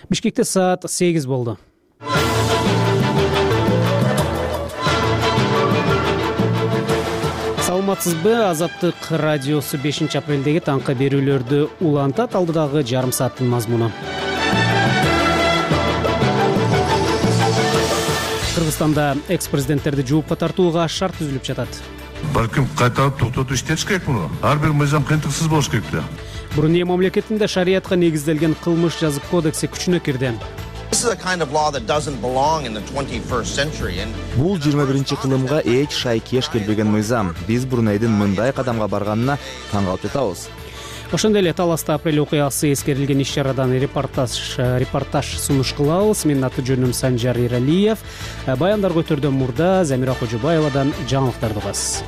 Бишкекте саат 8 болду. Саламатсызбы? Азаттык радиосу 5-апрелдеги таңкы берүүлөрдү улантат. Алдыдагы жарым сааттын мазмуну. Кыргызстанда экс-президенттерди жоопко тартууга шарт түзүлүп жатат. Балким кайталып токтотуп иштетиш керек муну. Ар бир мыйзам кыйынтыксыз болуш керек да. Бурунди мамлекетинде шариятка негизделген кылмыш жазык кодекси күчүнө кирди. Бул 21 кылымга эч шайкеш келбеген мыйзам. Биз Брунейдин мындай кадамга барганына таң калып жатабыз. Ошондой эле Таласта апрель окуясы эскерилген иш-чарадан репортаж сунуш кылабыз. Менин аты-жөнүм Санжар Иралиев. Баяндар көтөрдөн мурда Замира Кожобаевадан жаңылыктарды угасыз.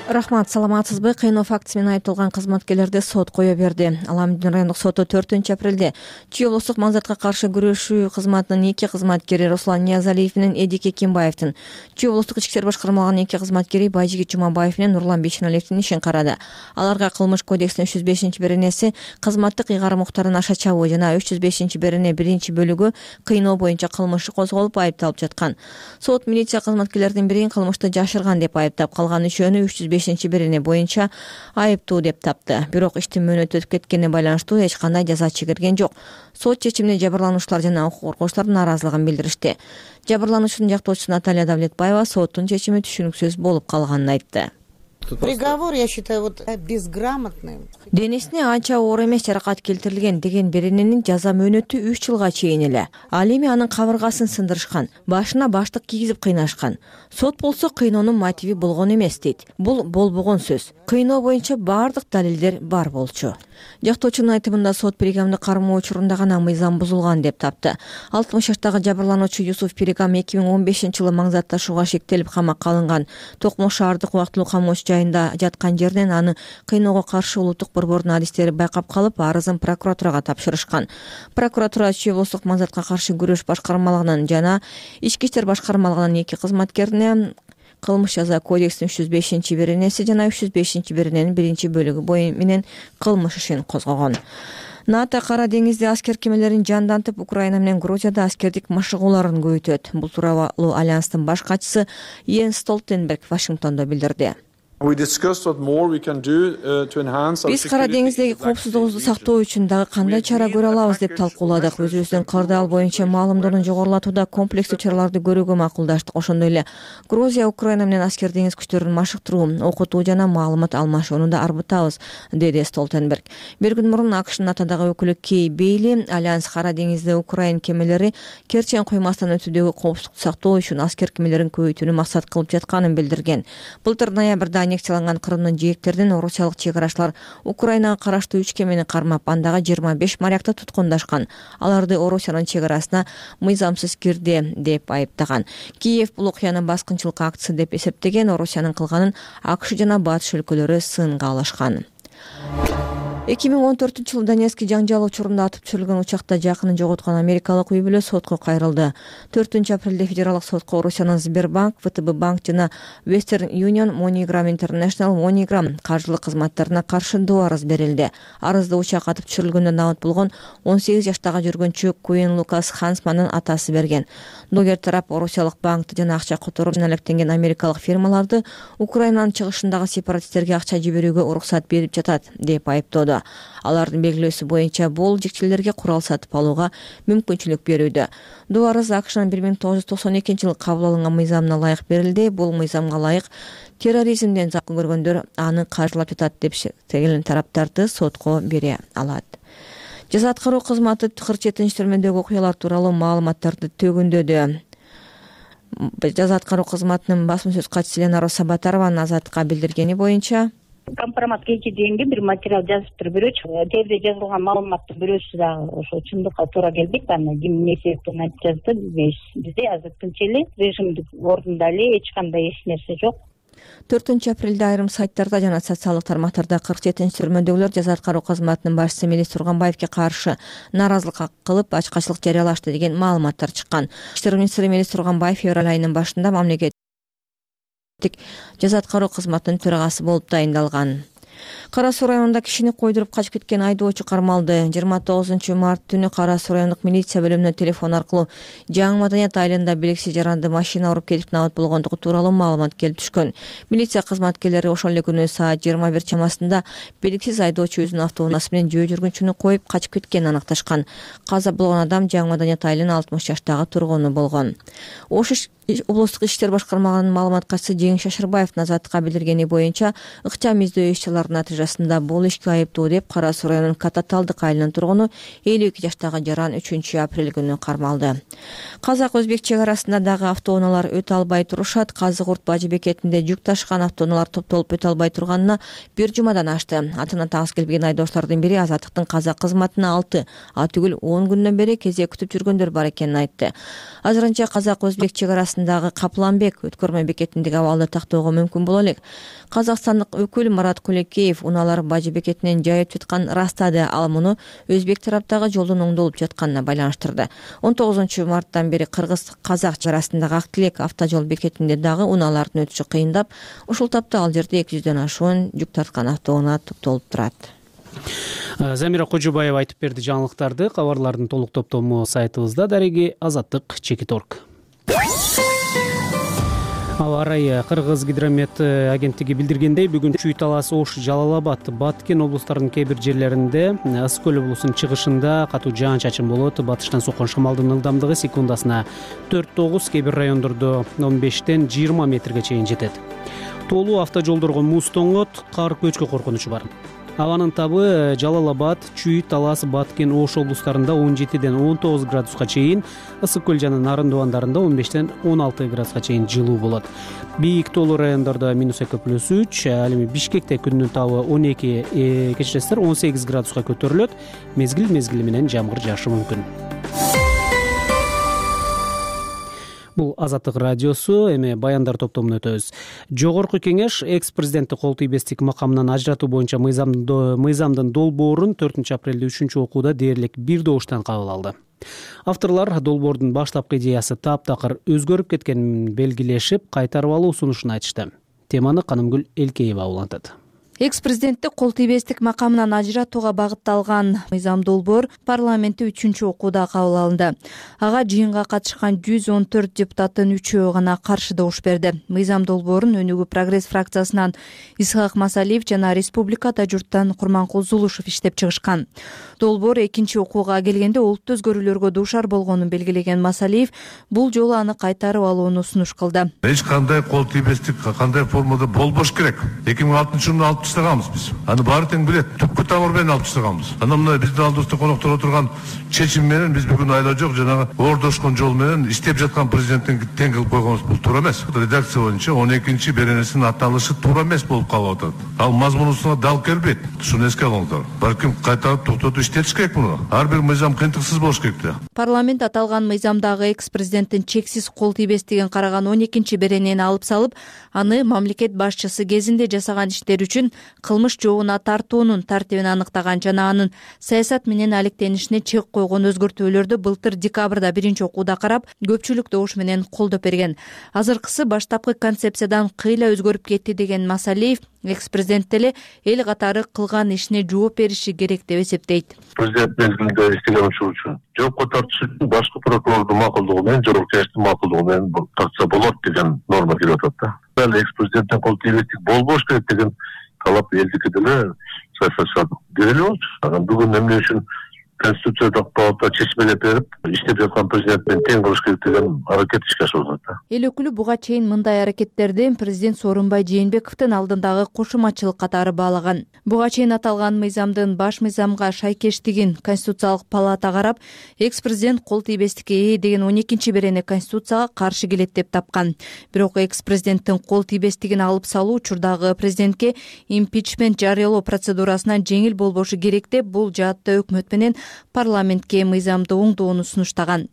Рахмат, саламатсызбы? Кыйноо фактысы менен айыпталган кызматкерлерди сот кое берди. Аламдин райондук соту 4-апрелде Чүй облустук маңзатка каршы күрөшүү кызматынын 2 кызматкери Руслан Ниязалиев менен Эдике Кимбаевдин, Чүй облустук ички иштер башкармалыгынын 2 кызматкери Байжигит Жумабаев менен Нурлан Бейшеналиевдин ишин карады. Аларга кылмыш кодекстин 305-беренеси кызматтык ыйгарым укуктарын аша чабуу жана 305-берене 1-бөлүгү кыйноо боюнча кылмыш козголуп айыпталып жаткан. Сот милиция кызматкерлердин бирин кылмышты жашырган деп айыптап, калган үчөөнү 305-берене боюнча айыптуу деп тапты. Бирок иштин мөөнөтү өтүп кеткенине байланыштуу эч кандай жаза чегирген жок. Сот чечимине жабырлануучулар жана укук коргоочулар нааразылыгын билдиришти. Жабырлануучунун жактоочусу Наталья Давлетбаева соттун чечими түшүнүксүз болуп калганын айтты. Приговор, я считаю, безграмотным. Денесине анча оор эмес жаракат келтирилген деген берененин жаза мөөнөтү 3 жылга чейин эле. Ал эми анын кабыргасын сындырышкан, башына баштык кийгизип кыйнашкан. Сот болсо кыйноонун мотиви болгон эмес дейт. Бул болбогон сөз. Кыйноо боюнча баардык далилдер бар болчу. Жактоочунун айтымында сот Перегамды кармоо учурунда гана мыйзам бузулган деп тапты. 60 жаштагы жабырлануучу Юсуф Перегам 2015-жылы маңзатташууга шектелип камакка алынган. Токмо шаардык убактылуу камооч жайында жаткан жерден аны кыйноого каршы улуттук борбордун адистери байкап калып, арызын прокуратурага тапшырышкан. Прокуратура Чүй облустук маңзатка каршы күрөш башкармалыгынын жана ички иштер башкармалыгынын 2 кызматкерине кылмыш жаза кодекстин 305-беренеси жана 305-берененин 1-бөлүгү менен кылмыш ишин козгогон. НАТО Кара деңизде аскер кемелерин жандантып, Украина менен Грузияда аскердик машыгууларын көбөйтөт. Бул тууралуу Альянстын баш катчысы Йенс Столтенберг Вашингтондо билдирди. Биз Кара деңиздеги коопсуздугубузду сактоо үчүн дагы кандай чара көрө алабыз деп талкууладык. Өзүбүздүн кырдаал боюнча маалымдоонун жогорулатууда комплекстүү чараларды көрүүгө макулдаштык. Ошондой эле Грузия, Украина менен аскер деңиз күчтөрүн машыктыруу, окутуу жана маалымат алмашууну да арбытабыз, деди Столтенберг. Бир күн мурун АКШнын натадагы өкүлү Кей Бейли Альянс Кара деңизде Украин кемелери Керчен куймасынан өтүүдөгү коопсуздукту сактоо үчүн аскер кемелерин көбөйтүүнү максат кылып жатканын билдирген. Былтыр ноябрда аннексияланган Крымдын жээктеринен орусиялык чек-арачылар Украинага караштуу 3 кемени кармап, андагы 25 морякты туткундашкан. Аларды Орусиянын чек-арасына мыйзамсыз кирди деп айыптаган. Киев бул окуяны баскынчылык актысы деп эсептеген, Орусиянын кылганын АКШ жана батыш өлкөлөрү сынга алышкан. 2014-жылы Донецк жаңжал учурунда атып түшүрүлгөн учакта жакынын жоготкон америкалык үй бүлө сотко кайрылды. 4-апрелде федералдык сотко Орусиянын Сбербанк, ВТБ банк жана Western Union, MoneyGram International, MoneyGram каржылык кызматтарына каршы доо арыз берилди. Арызды учак атып түшүрүлгөндө набыт болгон 18 жаштагы жүргөнчү Куин Лукас Хансмандын атасы берген. Догер тарап Орусиялык банкты жана акча которуп алектенген америкалык фирмаларды Украинанын чыгышындагы сепаратисттерге акча жиберүүгө уруксат берип жатат деп айыптоодо. Алардын белгилөөсү боюнча бул жекчелерге курал сатып алууга мүмкүнчүлүк берүүдө. Доо арыз АКШнын 1992-жылы кабыл алынган мыйзамына ылайык берилди. Бул мыйзамга ылайык терроризмден зақым көргөндөр аны каржылап жатат деп шектелген тараптарды сотко бере алат. Жаза аткаруу кызматы Кырчетин төрмөдөгү окуялар тууралуу маалыматтарды төгүндөдү. Жаза аткаруу кызматынын басма сөз катчысы Ленара Сабатарованын Азаттыкка билдиргени боюнча, компромат кече дегенге бир материал жазып туруп бирөөчү. Жерде жазылган маалыматтын бирөөсү дагы ошо чындыкка туура келбейт. Аны ким эмне себептен айтып жазды бизде азыр тынч эле, режимди ордунда эле, эч кандай эч нерсе жок. 4-апрелде айрым сайттарда жана социалдык тармактарда 47-төрмөдөгүлөр жаза аткаруу кызматынын башчысы Мелис Турганбаевге каршы нааразылык кылып ачкачылык жарыялашты деген маалыматтар чыккан. Иштер министри Мелис Турганбаев февраль айынын башында мамлекеттик жаза аткаруу кызматынын төрагасы болуп дайындалган. Кара Суу районунда кишини койдуруп качып кеткен айдоочу кармалды. 29 март түнү Кара Суу райондук милиция бөлүмүнө телефон аркылуу Жаңы Маданият айылында белгисиз жаранды машина уруп кетип набат болгондугу тууралуу маалымат келип түшкөн. Милиция кызматкерлери ошол эле күнү саат 21 чамасында белгисиз айдоочу өзүнүн автоунаасы менен жөө жүргүнчүнү коюп качып кеткенин аныкташкан. Каза болгон адам Жаңы Маданият айылынын 60 жаштагы тургуну болгон. Ош облустук иштер башкармалыгынын маалымат катчысы Жеңиш Шашырбаевдин азаттыкка билдиргени боюнча ыкчам издөө иш-чараларынын натыйжасында бул ишке айыптуу деп Кара Суу районунун Кататалдык айылынын тургуну 52 жаштагы жаран 3 апрель күнү кармалды. Казак-өзбек чек арасында дагы автоунаалар өтө албай турушат. Казык-Урт бажы бекетинде жүк ташыган автоунаалар топтолуп өтө албай турганына бир жумадан ашты. Атына тагыз келбеген айдоочулардын бири азаттыктын казак кызматына 6, түгүл 10 күндөн бери кезек күтүп жүргөндөр бар экенин айтты. Азырынча Казак-өзбек чек арасындагы Капланбек өткөрмө бекетиндеги абалды тактоого мүмкүн боло элек. Казакстандык өкүл Марат Кулекеев унаалар бажы бекетинен жайып жаткан растады. Ал муну өзбек тараптагы жолдун оңдолуп жатканына байланыштырды. 19 марттан бери кыргыз-казак чек арасындагы Ак Тилек автожол бекетинде дагы унаалардын өтүшү кыйындап, ушул тапта ал жерде 200дөн ашуун жүк тарткан автоунаа топтолуп турат. Замира Кожубаева айтып берди жаңылыктарды. Кабарлардын толук топтому сайтыбызда. Дареги Азаттык Чекиторг. Аба ырайы Кыргыз гидромет агенттиги билдиргендей, бүгүн Чүй талаасы, Ош, Жалал-Абад, Баткен облустарынын кээ бир жерлеринде, Ысык көл облусунун чыгышында катуу жаан-чачын болот. Батыштан соккон шамалдын ылдамдыгы секундасына 4-9, кээ бир райондордо 15-тен 20 метрге чейин жетет. Тоолуу автожолдорго муз тоңот, кар көчкү коркунучу бар. Абанын табы Жалал-Абад, Чүй талаасы, Баткен, Ош облустарында 17-ден 19 градуска чейин, Ысык көл жана Нарын дубандарында 15-тен 16 градуска чейин жылуу болот. Бийик тоолуу райондордо -2+3, ал эми Бишкекте күндүн табы 18 градуска көтөрүлөт. Мезгил менен жамгыр жаашы мүмкүн. Бул Азаттык радиосу. Эми баяндар топтомуна өтөбүз. Жогорку кеңеш экс-президентти кол тийбестик макамынан ажыратуу боюнча мыйзамдын долбоорун 4 апрелде 3 окууда дээрлик бир добуштан кабыл алды. Авторлор долбоордун баштапкы идеясы таптакыр өзгөрүп кеткенин белгилешип, кайтарып алуу сунушун айтышты. Теманы Канымгүл Элкеева улантат. Экс-президентти кол тийбестик макамынан ажыратууга багытталган мыйзам долбоор парламентте 3 окууда кабыл алынды. Ага жыйынга катышкан 114 депутаттын 3-өө гана каршы добуш берди. Мыйзам долбоорун Өнүгүү прогресс фракциясынан Исхак Масалиев жана Республикада журттан Курманкул Зулушев иштеп чыгышкан. Долбоор 2 окууга келгенде олуттуу өзгөрүүлөргө дуушар болгонун белгилеген Масалиев бул жолу аны кайтарып алууну сунуш кылды. Эч кандай кол тийбестик кандай формада болбош керек. 2006-жылы алып таштаганбыз биз. Аны баары тең билет. Түпкү тамыр менен алып таштаганбыз. Анан мына биздин алдыбызда коноктор отурган чечим менен биз бүгүн айла жок жанагы оордошкон жол менен иштеп жаткан президенттин тең кылып койгонубуз бул туура эмес. Редакция боюнча 12 беренесинин аталышы туура эмес болуп калып атат. Ал мазмунусуна дал келбейт. Шуну эске алыңыздар. Балким кайтарып токтотуп иштетиш керек муну. Ар бир мыйзам кыйынтыксыз болуш керек да. Парламент аталган мыйзамдагы экс-президенттин чексиз кол тийбестигин караган 12 беренени алып салып, аны мамлекет башчысы кезинде жасаган иштер үчүн кылмыш жообуна тартуунун тартибин аныктаган жана анын саясат менен алектенишине чек койгон өзгөртүүлөрдү былтыр декабрда 1 окууда карап, көпчүлүк добуш менен колдоп берген. Азыркысы баштапкы концепциядан кыйла өзгөрүп кетти деген Масалиев экс-президент деле эл катары кылган ишине жооп бериши керек деп эсептейт. Президент мезгилинде иштеген ушул үчүн жоопко тартыш үчүн башкы прокурордун макулдугу менен, жогорку кеңештин макулдугу менен тартса болот деген норма келип атат да. Ал экс-президенттин кол тийбестик болбош керек деген талап элдики деле саясатчылар деле болчу. Анан бүгүн эмне үчүн Конституциялык палата чечмелеп берип, иштеп жаткан президент менен тең кылыш керек деген аракет ишке ашырылып атат. Эл өкүлү буга чейин мындай аракеттерди президент Сооронбай Жээнбековдун алдындагы кошумачылык катары баалаган. Буга чейин аталган мыйзамдын баш мыйзамга шайкештигин Конституциялык палата карап, экс-президент кол тийбестикке ээ деген 12 берене Конституцияга каршы келет деп тапкан. Бирок экс-президенттин кол тийбестигин алып салуу учурдагы президентке импичмент жарыялоо процедурасынан жеңил болбошу керек деп, бул жаатта өкмөт менен парламентке мыйзамды оңдоону сунуштаган.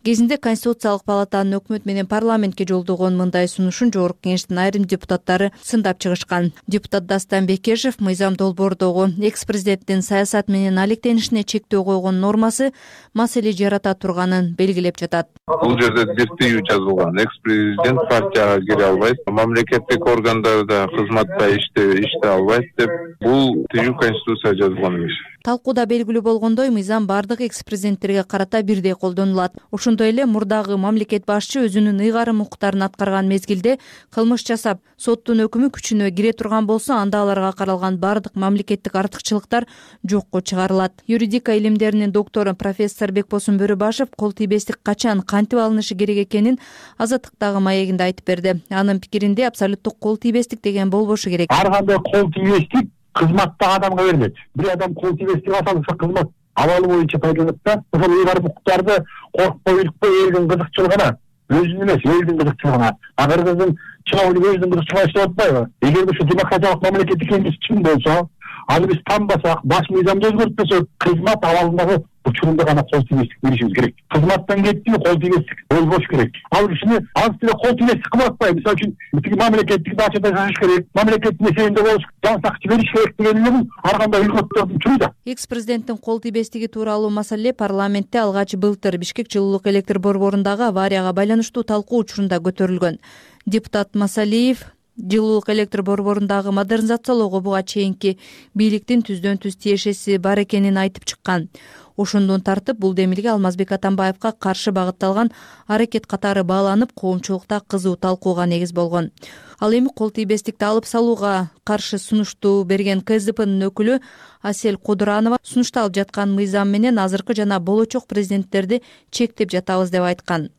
Кезинде Конституциялык палатанын өкмөт менен парламентке жолдогон мындай сунушун жогорку кеңештин айрым депутаттары сындап чыгышкан. Депутат Дастан Бекешев мыйзам долбоордогу экс-президенттин саясат менен алектенишине чектөө койгон нормасы маселе жарата турганын белгилеп жатат. Бул жерде бир тыюу жазылган. Экс-президент партияга кире албайт, мамлекеттик органдарда кызматта иштей албайт деп бул тыюу Конституцияга жазылган эмес. Талкууда белгилүү болгондой, мыйзам бардык экс-президенттерге карата бирдей колдонулат. Ошондой эле мурдагы мамлекет башчы өзүнүн ыйгарым укуктарын аткарган мезгилде кылмыш жасап, соттун өкүмү күчүнө кире турган болсо, анда аларга каралган бардык мамлекеттик артыкчылыктар жокко чыгарылат. Юридика илимдеринин доктору профессор Бекбосун Бөрүбашев кол тийбестик качан кантип алынышы керек экенин Азаттыктагы маегинде айтып берди. Анын пикиринде абсолюттук кол тийбестик деген болбошу керек. Ар кандай кол тийбестик кызматтагы адамга берилет. Бир адам кол тийбестик асалса кызмат абалы боюнча пайдаланат да. Ошол ыйгарым укуктарды коркпой, иликпей элдин кызыкчылыгына, өзүнүн эмес, элдин кызыкчылыгына. Кыргыздын чыноолугу өзүнүн кызыкчылыгына иштеп атпайбы? Эгер ушу демократиялык мамлекет экенибиз чын болсо, аны биз танбасак, баш мыйзамды өзгөртпөсөк, кызмат абалындагы учурунда гана кол тийбестик беришибиз керек. Кызматтан кетти, кол тийбестик болбош керек. Ал кишини аз деле кол тийбестик кылып атпайбы. Мисалы үчүн тиги мамлекеттик бачада жашаш керек, мамлекеттик меселинде болуш, жан сакчы бериш керек дегенлерин ар кандай өлкөттөрдүн түрү да. Экс-президенттин кол тийбестиги тууралуу маселе парламентте алгач былтыр Бишкек жылуулук электр борборундагы аварияга байланыштуу талкуу учурунда көтөрүлгөн. Депутат Масалиев жылуулук электр борборундагы модернизациялоого буга чейинки бийликтин түздөн-түз тиешеси бар экенин айтып чыккан. Ошондон тартып бул демилге Алмазбек Атамбаевка каршы багытталган аракет катары бааланып, коомчулукта кызуу талкууга негиз болгон. Ал эми кол тийбестикти алып салууга каршы сунушту берген КСДПнын өкүлү Асель Кудуранова сунушталып жаткан мыйзам менен азыркы жана болочок президенттерди чектеп жатабыз деп айткан.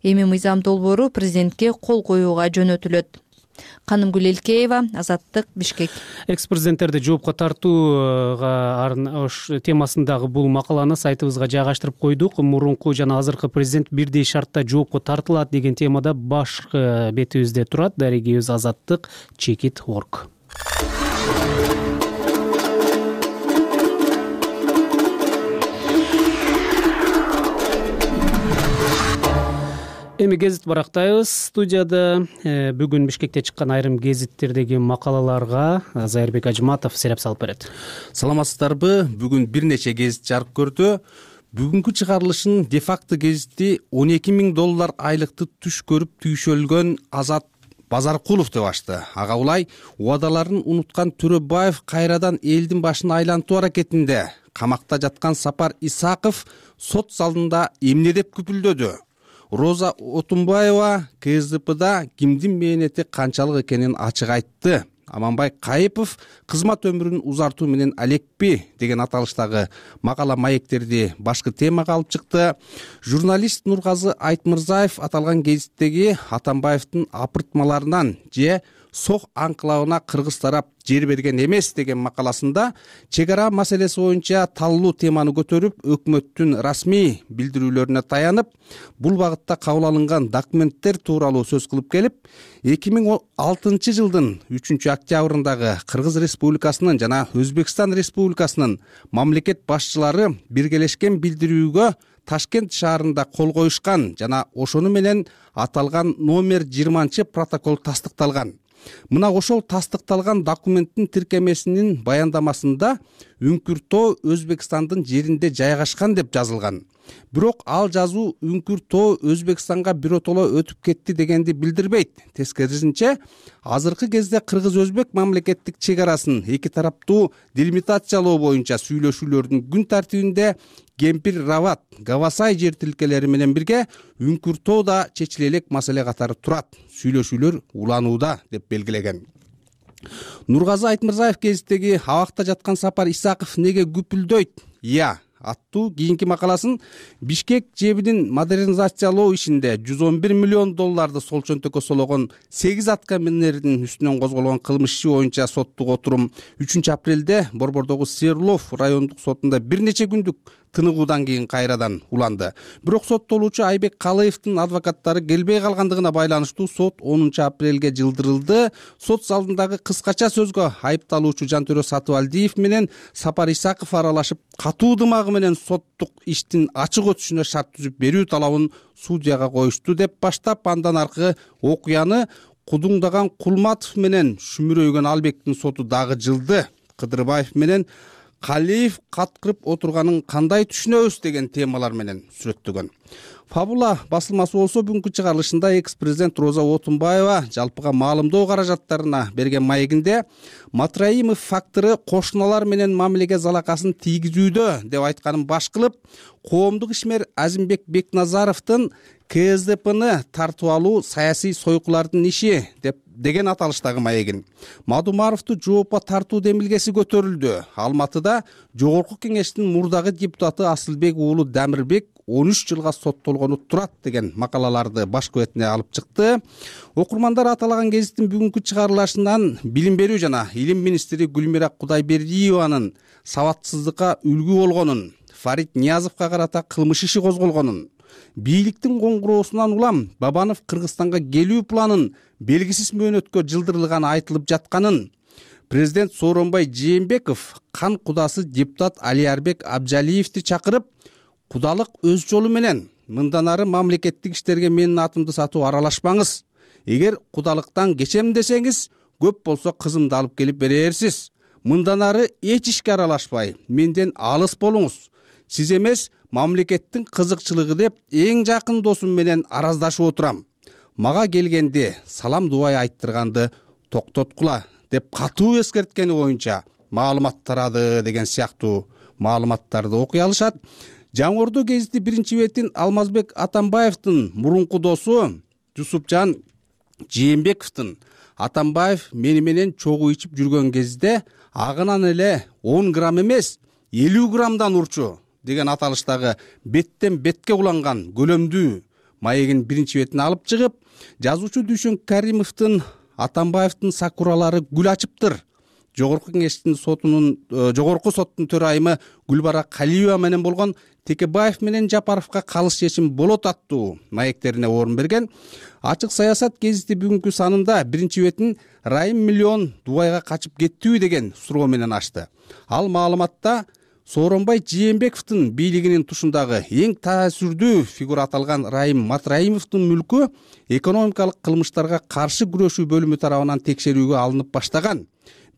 Эми мыйзам долбоору президентке кол коюуга жөнөтүлөт. Канымгүл Элкеева, Азаттык, Бишкек. Экс-президенттерди жоопко тартууга темасындагы бул макаланы сайтыбызга жайгаштырып койдук. Мурунку жана азыркы президент бирдей шартта жоопко тартылат деген темада башкы бетибизде турат. Дарегибиз Азаттык, Чекит.org. Эми гезит барактайбыз. Студияда бүгүн Бишкекте чыккан айрым гезиттердеги макалаларга Зайырбек Ажматов сереп салып берет. Саламатсыздарбы? Бүгүн бир нече гезит жарык көрдү. Бүгүнкү чыгарылышын де-факто гезити $12,000 айлыкты түш көрүп түйшөлгөн Азат Базаркулов деп ачты. Ага улай убадаларын унуткан Төрөбаев кайрадан элдин башын айлантуу аракетинде. Камакта жаткан Сапар Исаков сот залында эмне деп күпүлдөдү? Роза Отунбаева КСДПда кимдин мээнети канчалык экенин ачык айтты. Аманбай Кайыпов кызмат өмүрүн узартуу менен алекпи деген аталыштагы макала маектерди башкы темага алып чыкты. Журналист Нургазы Айтмырзаев аталган гезиттеги Атамбаевдин апыртмаларынан же Сох анклавына кыргыз тарап жер берген эмес деген макаласында чек ара маселеси боюнча таллуу теманы көтөрүп, өкмөттүн расмий билдирүүлөрүнө таянып, бул багытта кабыл алынган документтер тууралуу сөз кылып келип, 2006 жылдын 3-октябрындагы Кыргыз Республикасынын жана Өзбекстан Республикасынын мамлекет башчылары биргелешкен билдирүүгө Ташкент шаарында кол коюшкан жана ошону менен аталган номер 20 протокол тастыкталган. Мына ошол тастыкталган документтин тиркемесинин баяндамасында Үңкүр-Тоо Өзбекстандын жеринде жайгашкан деп жазылган. Бирок ал жазуу Үңкүр-Тоо Өзбекстанга биротоло өтүп кетти дегенди билдирбейт. Тескерисинче, азыркы кезде кыргыз-өзбек мамлекеттик чек арасын эки тараптуу делимитациялоо боюнча сүйлөшүүлөрдүн күн тартибинде Кемпир Рават, Гавасай жер тилкелери менен бирге Үңкүр-Тоо да чечиле элек маселе катары турат. Сүйлөшүүлөр уланууда деп белгилеген. Нургазы Айтмырзаев гезиттеги абакта жаткан Сапар Исаков неге күпүлдөйт? Аттуу кийинки макаласын Бишкек жебинин модернизациялоо ишинде $111 миллион сол чөнтөккө сологон 8 аткаминердин үстүнөн козголгон кылмыш иши боюнча соттук отурум 3 апрелде Борбордогу Серлов райондук сотунда бир нече күндүк тыныгуудан кийин кайрадан уланды. Бирок соттолуучу Айбек Калыевдин адвокаттары келбей калгандыгына байланыштуу сот 10 апрелге жылдырылды. Сот залындагы кыскача сөзгө айыпталуучу Жантөрө Сатыбалдиев менен Сапар Исаков аралашып, катуу дымагы менен соттук иштин ачык өтүшүнө шарт түзүп берүү талабын судьяга коюшту деп баштап, андан аркы окуяны Кудуңдаган Кулматов менен Шүмүрөйгөн Албектин соту дагы жылды. Кыдырбаев менен Калиев каткырып отурганын кандай түшүнөбүз деген темалар менен сүрөттөгөн. Фабула басылмасы болсо бүгүнкү чыгарылышында экс-президент Роза Отунбаева жалпыга маалымдоо каражаттарына берген маегинде Матраимов фактору кошуналар менен мамилеге залакасын тийгизүүдө деп айтканын баш кылып, коомдук ишмер Азимбек Бекназаровдун КСДПны тартып алуу саясий сойкулардын иши деген аталыштагы маегин. Мадумаровду жоопко тартуу демилгеси көтөрүлдү. Алматыда Жогорку Кеңештин мурдагы депутаты Асылбек уулу Дамирбек 13 жылга соттолгону турат деген макалаларды баш көбөтүнө алып чыкты. Окурмандар аталаган гезиттин бүгүнкү чыгарылышынан билим берүү жана илим министри Гүлмира Кудайбердиеванын сабатсыздыкка үлгү болгонун, Фарид Ниязовго карата кылмыш иши козголгонун, бийликтин коңгуроосунан улам Бабанов Кыргызстанга келүү планын белгисиз мөөнөткө жылдырылганы айтылып жатканын, президент Сооронбай Жээнбеков кан кудасы депутат Алиарбек Абжалиевди чакырып, кудалык өз жолу менен мындан ары мамлекеттик иштерге менин атымды сатуу аралашпаңыз. Эгер кудалыктан кечем десеңиз, көп болсо кызымды алып келип берерсиз. Мындан ары эч ишке аралашпай, менден алыс болуңуз. Сиз эмес, мамлекеттин кызыкчылыгы деп эң жакын досум менен араздашып отурам. Мага келгенде салам дубай айттырганды токтоткула деп катуу эскерткени боюнча маалымат тарады деген сыяктуу маалыматтарды окуй алышат. Жаңы Ордо гезити биринчи бетин Алмазбек Атамбаевдин мурунку досу Жусупжан Жээнбековдун Атамбаев мени менен чогуу ичип жүргөн кезде агынан эле 10 грамм эмес 50 граммдан урчу деген аталыштагы беттен бетке уланган көлөмдүү маегин биринчи бетине алып чыгып, жазуучу Дүйшөн Каримовдун Атамбаевдин сакуралары гүл ачыптыр. Жогорку соттун төрайымы Гүлбара Калиева менен болгон Текебаев менен Жапаровго калыс чечим болот аттуу маектерине орун берген. Ачык саясат гезити бүгүнкү санында биринчи бетин Райым миллион Дубайга качып кеттүү деген суроо менен ачты. Ал маалыматта Сооронбай Жээнбековдун бийлигинин тушундагы эң таасирдүү фигура аталган Райым Матраимовдун мүлкү экономикалык кылмыштарга каршы күрөшүү бөлүмү тарабынан текшерүүгө алынып баштаган.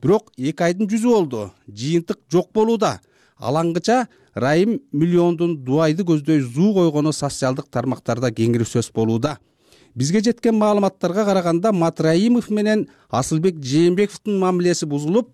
Бирок 2 айдын жүзү болду. Жыйынтык жок болууда. Алаңгыча Райым миллиондун Дубайды көздөй зуу койгону социалдык тармактарда кеңири сөз болууда. Бизге жеткен маалыматтарга караганда Матраимов менен Асылбек Жээнбековдун мамилеси бузулуп,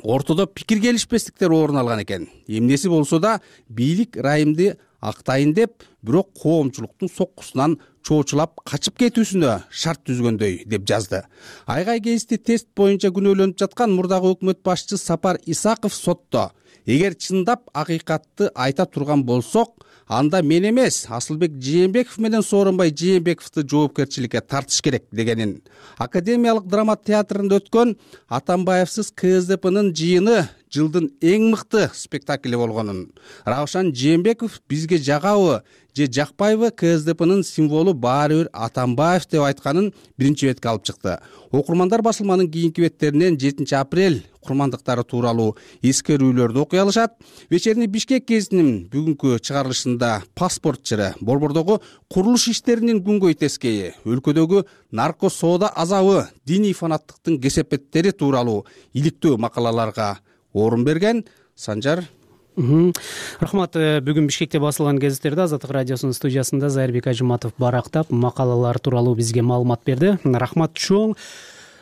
ортодо пикир келишпестиктер орун алган экен. Эмнеси болсо да бийлик Райымды актайын деп, бирок коомчулуктун соккусунан чоочулап качып кетүүсүнө шарт түзгөндөй деп жазды. Айгай гезити тест боюнча күнөөлөнүп жаткан мурдагы өкмөт башчысы Сапар Исаков сотто эгер чындап акыйкатты айта турган болсок, анда мен эмес, Асылбек Жээнбеков менен Сооронбай Жээнбековду жоопкерчиликке тартыш керек дегенин. Академиялык драма театрында өткөн Атамбаевсыз КСДПнын жыйыны жылдын эң мыкты спектакли болгонун, Раушан Жээнбеков бизге жагабы же жакпайбы КСДПнын символу баары бир Атамбаев деп айтканын биринчи бетке алып чыкты. Окурмандар басылманын кийинки беттеринен 7 апрель курмандыктары тууралуу эскерүүлөрдү окуй алышат. Вечерний Бишкек гезитинин бүгүнкү чыгарылышында паспорт жыры, Борбордогу курулуш иштеринин күнгөй тескейи, өлкөдөгү нарко соода азабы, диний фанаттыктын кесепеттери тууралуу иликтүү макалаларга орун берген. Санжар. Рахмат. Бүгүн Бишкекте басылган гезиттерде Азаттык радиосунун студиясында Зайырбек Ажыматов барактап макалалар тууралуу бизге маалымат берди. Рахмат чоң.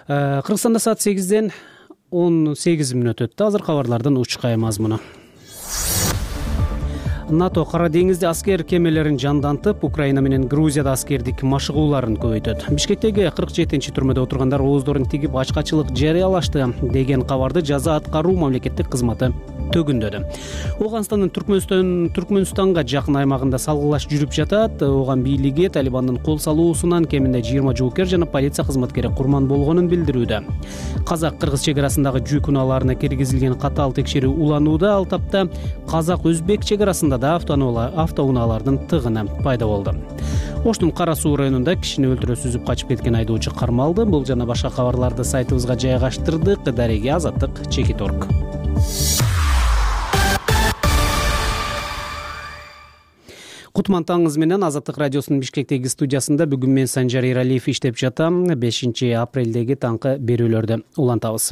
Кыргызстанда саат 8-ден 18 мүнөт өттү. Азыр кабарлардын учкай мазмуну. НАТО Кара деңизде аскер кемелерин жандантып, Украина менен Грузияда аскердик машыгууларын көбөйтөт. Бишкектеги 47-чи түрмөдө отургандар ооздорун тигип ачкачылык жарыялашты деген кабарды жаза аткаруу мамлекеттик кызматы төгүндөдү. Ооганстандын Түркмөнстанга жакын аймагында салгылаш жүрүп жатат. Ооган бийлиги Талибандын кол салуусунан кеминде 20 жоокер жана полиция кызматкери курман болгонун билдирүүдө. Казак-кыргыз чек арасындагы жүк унааларына киргизилген катаал текшерүү уланууда. Ал тапта казак-өзбек чек арасында да автоунаалардын тыгыны пайда болду. Оштун Кара суу районунда кишини өлтүрө сүзүп качып кеткен айдоочу кармалды. Бул жана башка кабарларды сайтыбызга жайгаштырдык. Дареге Азаттык, Чекит.орг. Кутман таңыңыз менен. Азаттык радиосунун Бишкектеги студиясында бүгүн мен Санжар Иралиев иштеп жатам. 5-апрелдеги таңкы берүүлөрдү улантабыз.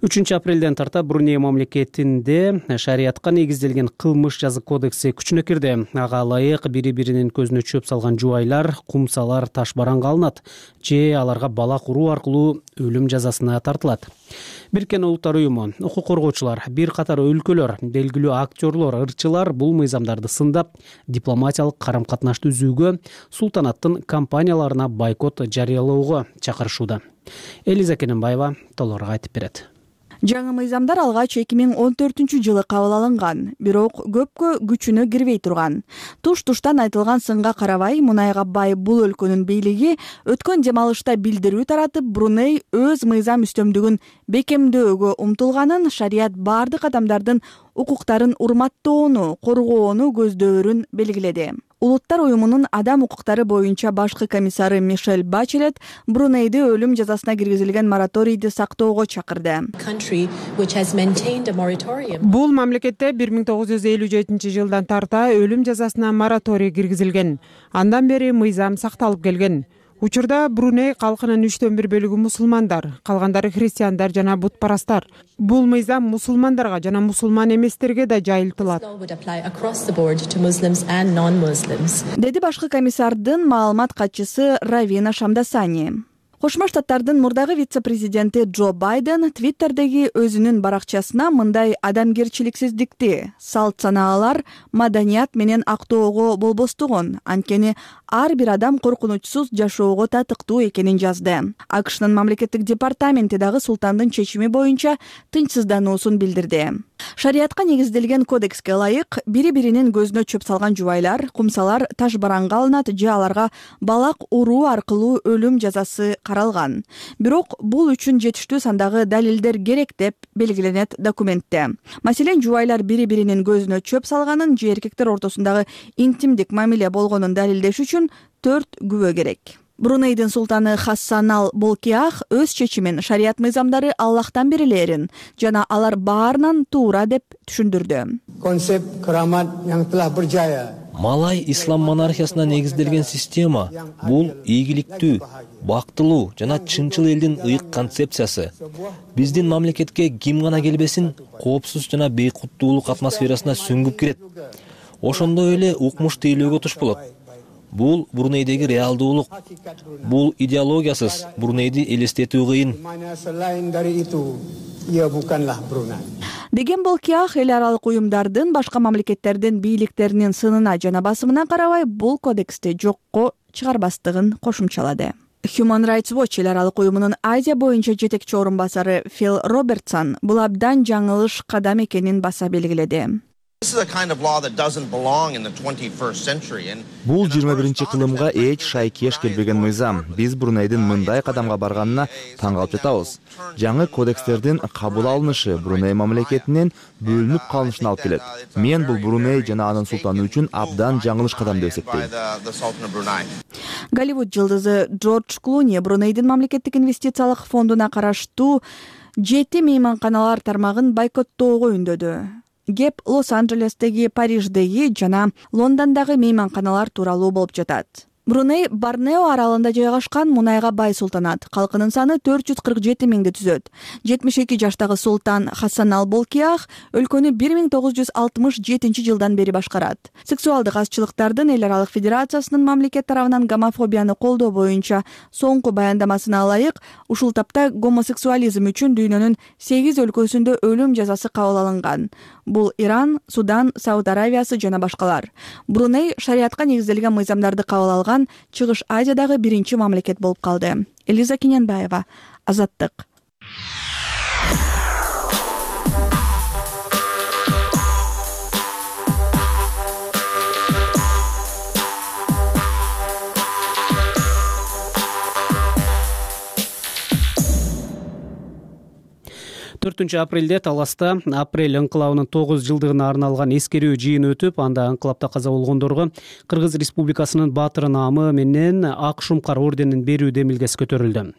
3-апрелден тарта Бруней мамлекетинде шариятка негизделген кылмыш жазык кодекси күчүнө кирди. Ага ылайык бири-биринин көзүнө чөп салган жубайлар, кумсалар таш бараңга алынат же аларга балак уруу аркылуу өлүм жазасына тартылат. Бириккен Улуттар уюму, укук коргоочулар, бир катар өлкөлөр, белгилүү актерлор, ырчылар бул мыйзамдарды сындап, дипломатиялык карам-катнашты үзүүгө, султанаттын компанияларына бойкот жарыялоого чакырышууда. Элиза Кененбаева толорго айтып берет. Жаңы мыйзамдар алгач 2014-жылы кабыл алынган, бирок көпкө күчүнө кирбей турган. Туш-туштан айтылган сынга карабай, мунайга бай бул өлкөнүн бийлиги өткөн демалышта билдирүү таратып, Бруней өз мыйзам үстөмдүгүн бекемдөөгө умтулганын, шарият бардык адамдардын укуктарын урматтоону, коргоону көздөөрүн белгиледи. Улуттар уюмунун адам укуктары боюнча башкы комиссары Мишель Бачелет Брунейди өлүм жазасына киргизилген мораторийди сактоого чакырды. Бул мамлекетте 1957-жылдан тарта өлүм жазасына мораторий киргизилген. Андан бери мыйзам сакталып келген. Учурда Бруней калкынын 1/3 бөлүгү мусулмандар, калгандары христиандар жана бутпарастар. Бул мыйзам мусулмандарга жана мусулман эместерге да жайылтылат. Деди башкы комиссардын маалымат катчысы Равина Шамдасани. Кошмо Штаттардын мурдагы вице-президенти Джо Байден Твиттердеги өзүнүн баракчасына мындай адамгерчиликсиздикти, салт санаалар, маданият менен актоого болбостугун, анткени ар бир адам коркунучсуз жашоого татыктуу экенин жазды. АКШнын мамлекеттик департаменти дагы султандын чечими боюнча тынчсыздануусун билдирди. Шариятка негизделген кодекске ылайык, бири-биринин көзүнө чөп салган жубайлар, кумсалар таш бараңга алынат же аларга балак уруу аркылуу өлүм жазасы каралган. Бирок бул үчүн жетиштүү сандагы далилдер керек деп белгиленет документте. Маселен, жубайлар бири-биринин көзүнө чөп салганын же эркектер ортосундагы интимдик мамиле болгонун далилдеш үчүн 4 күбө керек. Брунейдин султаны Хассанал Болкиах өз чечимин шарият мыйзамдары Аллахтан берилерин жана алар баарынан туура деп түшүндүрдү. Малай ислам монархиясына негизделген система бул ийгиликтүү, бактылуу жана чынчыл элдин ыйык концепциясы. Биздин мамлекетке ким гана келбесин, коопсуз жана бейкуттуулук атмосферасына сүңгүп кирет. Ошондой эле укмуш тейлөөгө туш болот. Бул Брунейдеги реалдуулук. Бул идеологиясыз Брунейди элестетүү кыйын. Деген Болкиах эл аралык уюмдардын башка мамлекеттердин бийликтеринин сынына жана басымына карабай бул кодексти жокко чыгарбастыгын кошумчалады. Human Rights Watch эл аралык уюмунун Азия боюнча жетекчи орун басары Фил Робертсон бул абдан жаңылыш кадам экенин баса белгиледи. Бул 21-чи кылымга эч шайкеш келбеген мыйзам. Биз Брунейдин мындай кадамга барганына таң калып жатабыз. Жаңы кодекстердин кабыл алынышы Бруней мамлекетинин бөлүнүп калышына алып келет. Мен бул Бруней жана анын султаны үчүн абдан жаңылыш кадам деп эсептейм. Голливуд жылдызы Джордж Клуни Брунейдин мамлекеттик инвестициялык фондуна караштуу 7 мейманканалар тармагын бойкоттоого үндөдү. Кеп Лос-Анджелестеги, Париждеги жана Лондондогу мейманканалар тууралуу болуп жатат. Бруней Борнео аралында жайгашкан мунайга бай султанат. Калкынын саны 447 миңди түзөт. 72 жаштагы султан Хасан ал-Болкиях өлкөнү 1967 жылдан бери башкарат. Сексуалдык азчылыктардын эл аралык федерациясынын мамлекет тарабынан гомофобияны колдоо боюнча соңку баяндамасына ылайык, ушул тапта гомосексуализм үчүн дүйнөнүн 8 өлкөсүндө өлүм жазасы кабыл алынган. Бул Иран, Судан, Сауд Аравиясы жана башкалар. Бруней шариатка негизделген мыйзамдарды кабыл алган Чыгыш Азиядагы биринчи мамлекет болуп калды. Элиза Кененбаева, Азаттык. 4 апрелде Таласта апрель ыңкылабынын 9 жылдыгына арналган эскерүү жыйыны өтүп, анда ыңкылапта каза болгондорго Кыргыз Республикасынын баатыры наамы менен Ак Шумкар орденин берүү демилгеси көтөрүлдү.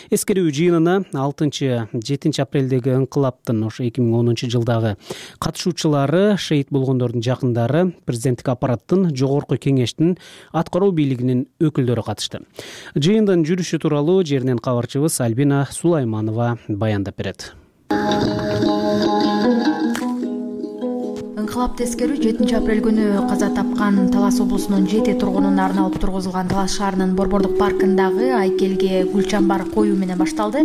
Эскерүү жыйынына 6-7 апрелдеги ыңкылаптын ошо 2010 жылдагы катышуучулары, шейит болгондордун жакындары, президенттик аппараттын, жогорку кеңештин, аткаруу бийлигинин өкүлдөрү катышты. Жыйындын жүрүшү тууралуу жеринен кабарчыбыз Альбина Сулайманова баяндап берет. Ыңкылапты эскерүү 7 апрель күнү каза тапкан Талас облусунун 7 тургунуна арналып тургузулган Талас шаарынын Борбордук паркындагы айкелге гүл чамбар коюу менен башталды.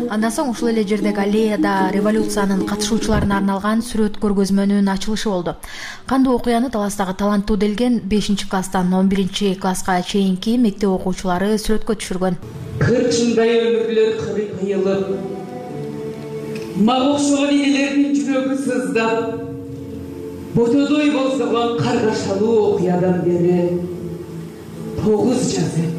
Андан соң ушул эле жердеги аллеяда революциянын катышуучуларына арналган сүрөт көргөзмөнүн ачылышы болду. Кандуу окуяны Таластагы таланттуу делген 5-класстан 11-класска чейинки мектеп окуучулары сүрөткө түшүргөн. Кырчындай өмүрлөр кыйылып, мага окшогон энелердин жүрөгү сыздап, ботодой болсогон каргашалуу окуядан бери 9 жаз өттү.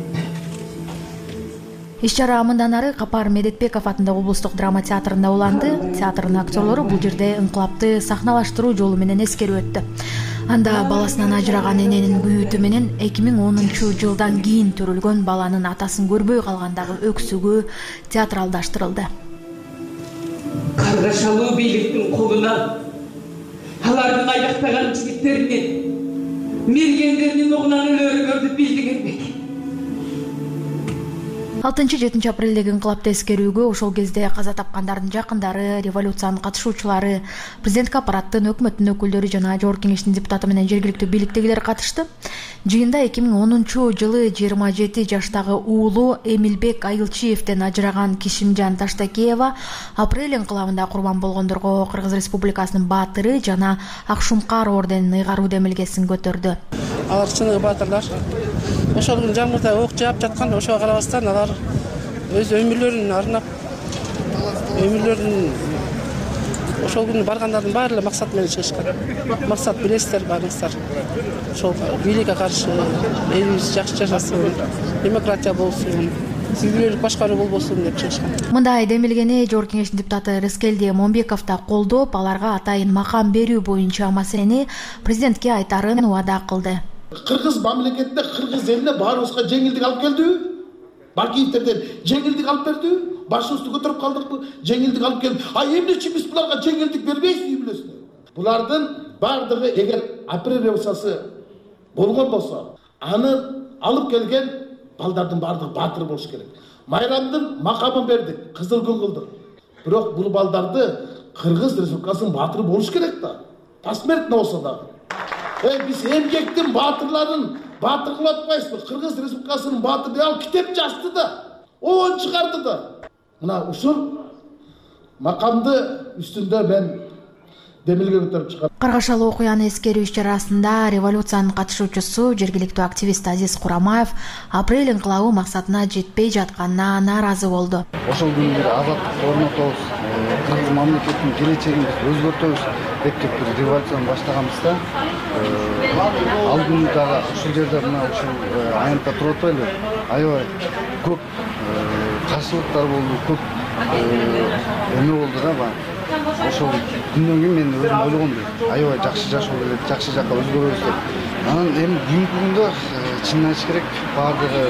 Иш-чара мындан ары Капар Медетбеков атындагы облустук драма театрында уланды. Театрдын актерлору бул жерде ыңкылапты сахналаштыруу жолу менен эскерип өттү. Анда баласынан ажыраган эненин күйүтү менен 2010 жылдан кийин төрүлгөн баланын атасын көрбөй калгандагы өксүгү театралдаштырылды. Каргашалуу бийликтин колуна алардын аяктаган жигиттеринин, мергендеринин огунан өлөрүңөрдү билдик элбек. 6-7 апрелдеги ыңкылапты эскерүүгө ошол кезде каза тапкандардын жакындары, революциянын катышуучулары, президенттик аппараттын, өкмөттүн өкүлдөрү жана жогорку кеңештин депутаты менен жергиликтүү бийликтегилер катышты. Жыйында 2010 жылы 27 жаштагы уулу Эмилбек Айылчиевден ажыраган Кишимжан Таштакеева апрель ыңкылабында курбан болгондорго Кыргыз Республикасынын баатыры жана Ак Шумкар орденин ыйгаруу демилгесин көтөрдү. Алар чыныгы баатырлар. Ошол күнү жамгырда ок жаап жаткан, ошого карабастан алар өз өмүрлөрүн арнап, ошол күнү баргандардын баары эле максат менен чыгышкан. Максат билесиздер баарыңыздар. Ошол бийликке каршы элибиз жакшы жашасын, демократия болсун, сүйгүлүк башкаруу болбосун деп чыгышкан. Мындай демилгени жогорку кеңештин депутаты Рыскелди Момбеков да колдоп, аларга атайын макам берүү боюнча маселени президентке айтарын убада кылды. Кыргыз мамлекетте, кыргыз элине баарыбызга жеңилдик алып келдиби? Бакиевтерден жеңилдик алып бердиби? Башыбызды көтөрүп калдыкпы? Жеңилдик алып келди. Эмне үчүн биз буларга жеңилдик бербейбиз билесиңер? Булардын бардыгы эгер апрель революциясы болгон болсо, аны алып келген балдардын бардыгы баатыр болуш керек. Майрамдын макамын бердик, кызыл күн кылдык. Бирок бул балдарды Кыргыз Республикасынын баатыры болуш керек да. Посмертно болсо дагы. Биз эмгектин баатырларын баатыр кылып атпайбызбы? Кыргыз Республикасынын баатыры ал китеп жазды да, оон чыгарды да. Мына ушул макамды үстүндө мен демилге көтөрүп чыгам. Каргашалуу окуяны эскерүү иш-чарасында революциянын катышуучусу, жергиликтүү активист Азиз Курамаев апрель ыңкылабы максатына жетпей жатканына нааразы болду. Ошол күнү бир азаттык орнотобуз, Кыргыз мамлекетинин келечегин өзгөртөбүз деп бир революцияны баштаганбызда, ал күнү дагы ушул жерде мына ушул аянтта туруп атпайлыбы? Аябай көп каршылыктар болду, көп эме болду да. Ошол күндөн кийин мен өзүм ойлогондой, аябай жакшы жашоо керек, жакшы жакка өзгөрөбүз деп. Анан эми бүгүнкү күндө чынын айтыш керек, баардыгы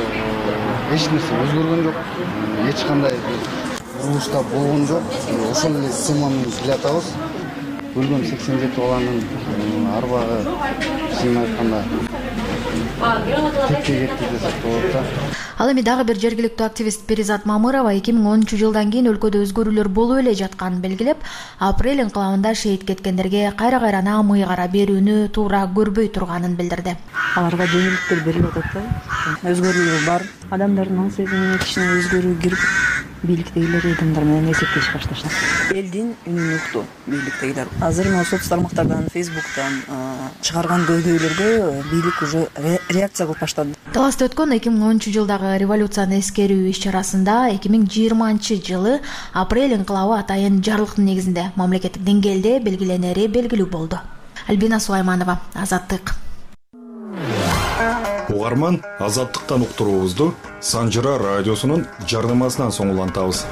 эч нерсе өзгөргөн жок, эч кандай урушта болгон жок. Ошол эле сумманы биле атабыз. Өлгөн 87 баланын арбагы, чынын айтканда кетти десек болот да. Ал эми дагы бир жергиликтүү активист Перизат Мамырова 2010-жылдан кийин өлкөдө өзгөрүүлөр болуп эле жатканын белгилеп, апрель инкылабында шейит кеткендерге кайра-кайрана мый кара берүүнү туура көрбөй турганын билдирди. Аларга жеңилдиктер берилип атат да. Өзгөрүү бар. Адамдардын аң сезимине кичине өзгөрүү кирип, бийликтегилер адамдар менен эсептеш башташат. Элдин үнүн укту бийликтегилер. Азыр мына соц тармактардан, Facebook'тан чыгарган көйгөйлөргө бийлик уже реакция кылып баштады. Таласта өткөн 2010-жылдагы революцияны эскерүү иш-чарасында 2020-жылы апрель инкылабы атайын жарлыктын негизинде мамлекеттик деңгээлде белгиленери белгилүү болду. Альбина Сулайманова, Азаттык. Угарман, Азаттыктан уктуруубузду Санжыра радиосунун жарнамасынан соң улантабыз.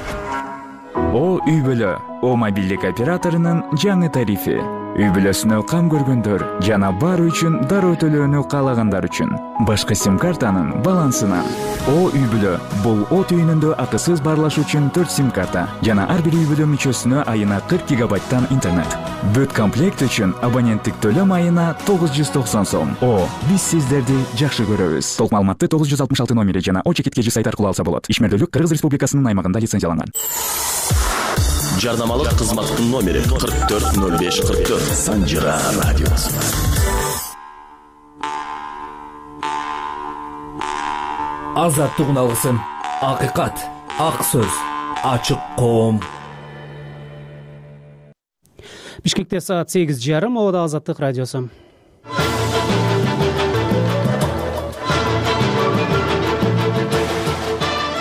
О үй бүлө, О мобилдик операторунун жаңы тарифи. Үй бүлөсүнө кам көргөндөр жана бар үчүн дароо төлөөнү каалагандар үчүн башка сим-картанын балансынан. О үй бүлө, бул от үйүнүндө акысыз барлаш үчүн 4 сим-карта жана ар бир үй бүлө мүчөсүнө айына 40 гигабайттан интернет. Бүт комплект үчүн абоненттик төлөм айына 990 сом. О, биз сиздерди жакшы көрөбүз. Толук маалыматты 966 номери жана О-чекиткежи сайт аркылуу алса болот. Ишмердүүлүк Кыргыз Республикасынын аймагында лицензияланган. Жарнамалык кызматтын номери 440544. Санжыра радиосу. Азаттык уналгысын. Акыйкат, ак сөз, ачык коом. Бишкекте саат 8:30, Ода Азаттык радиосу.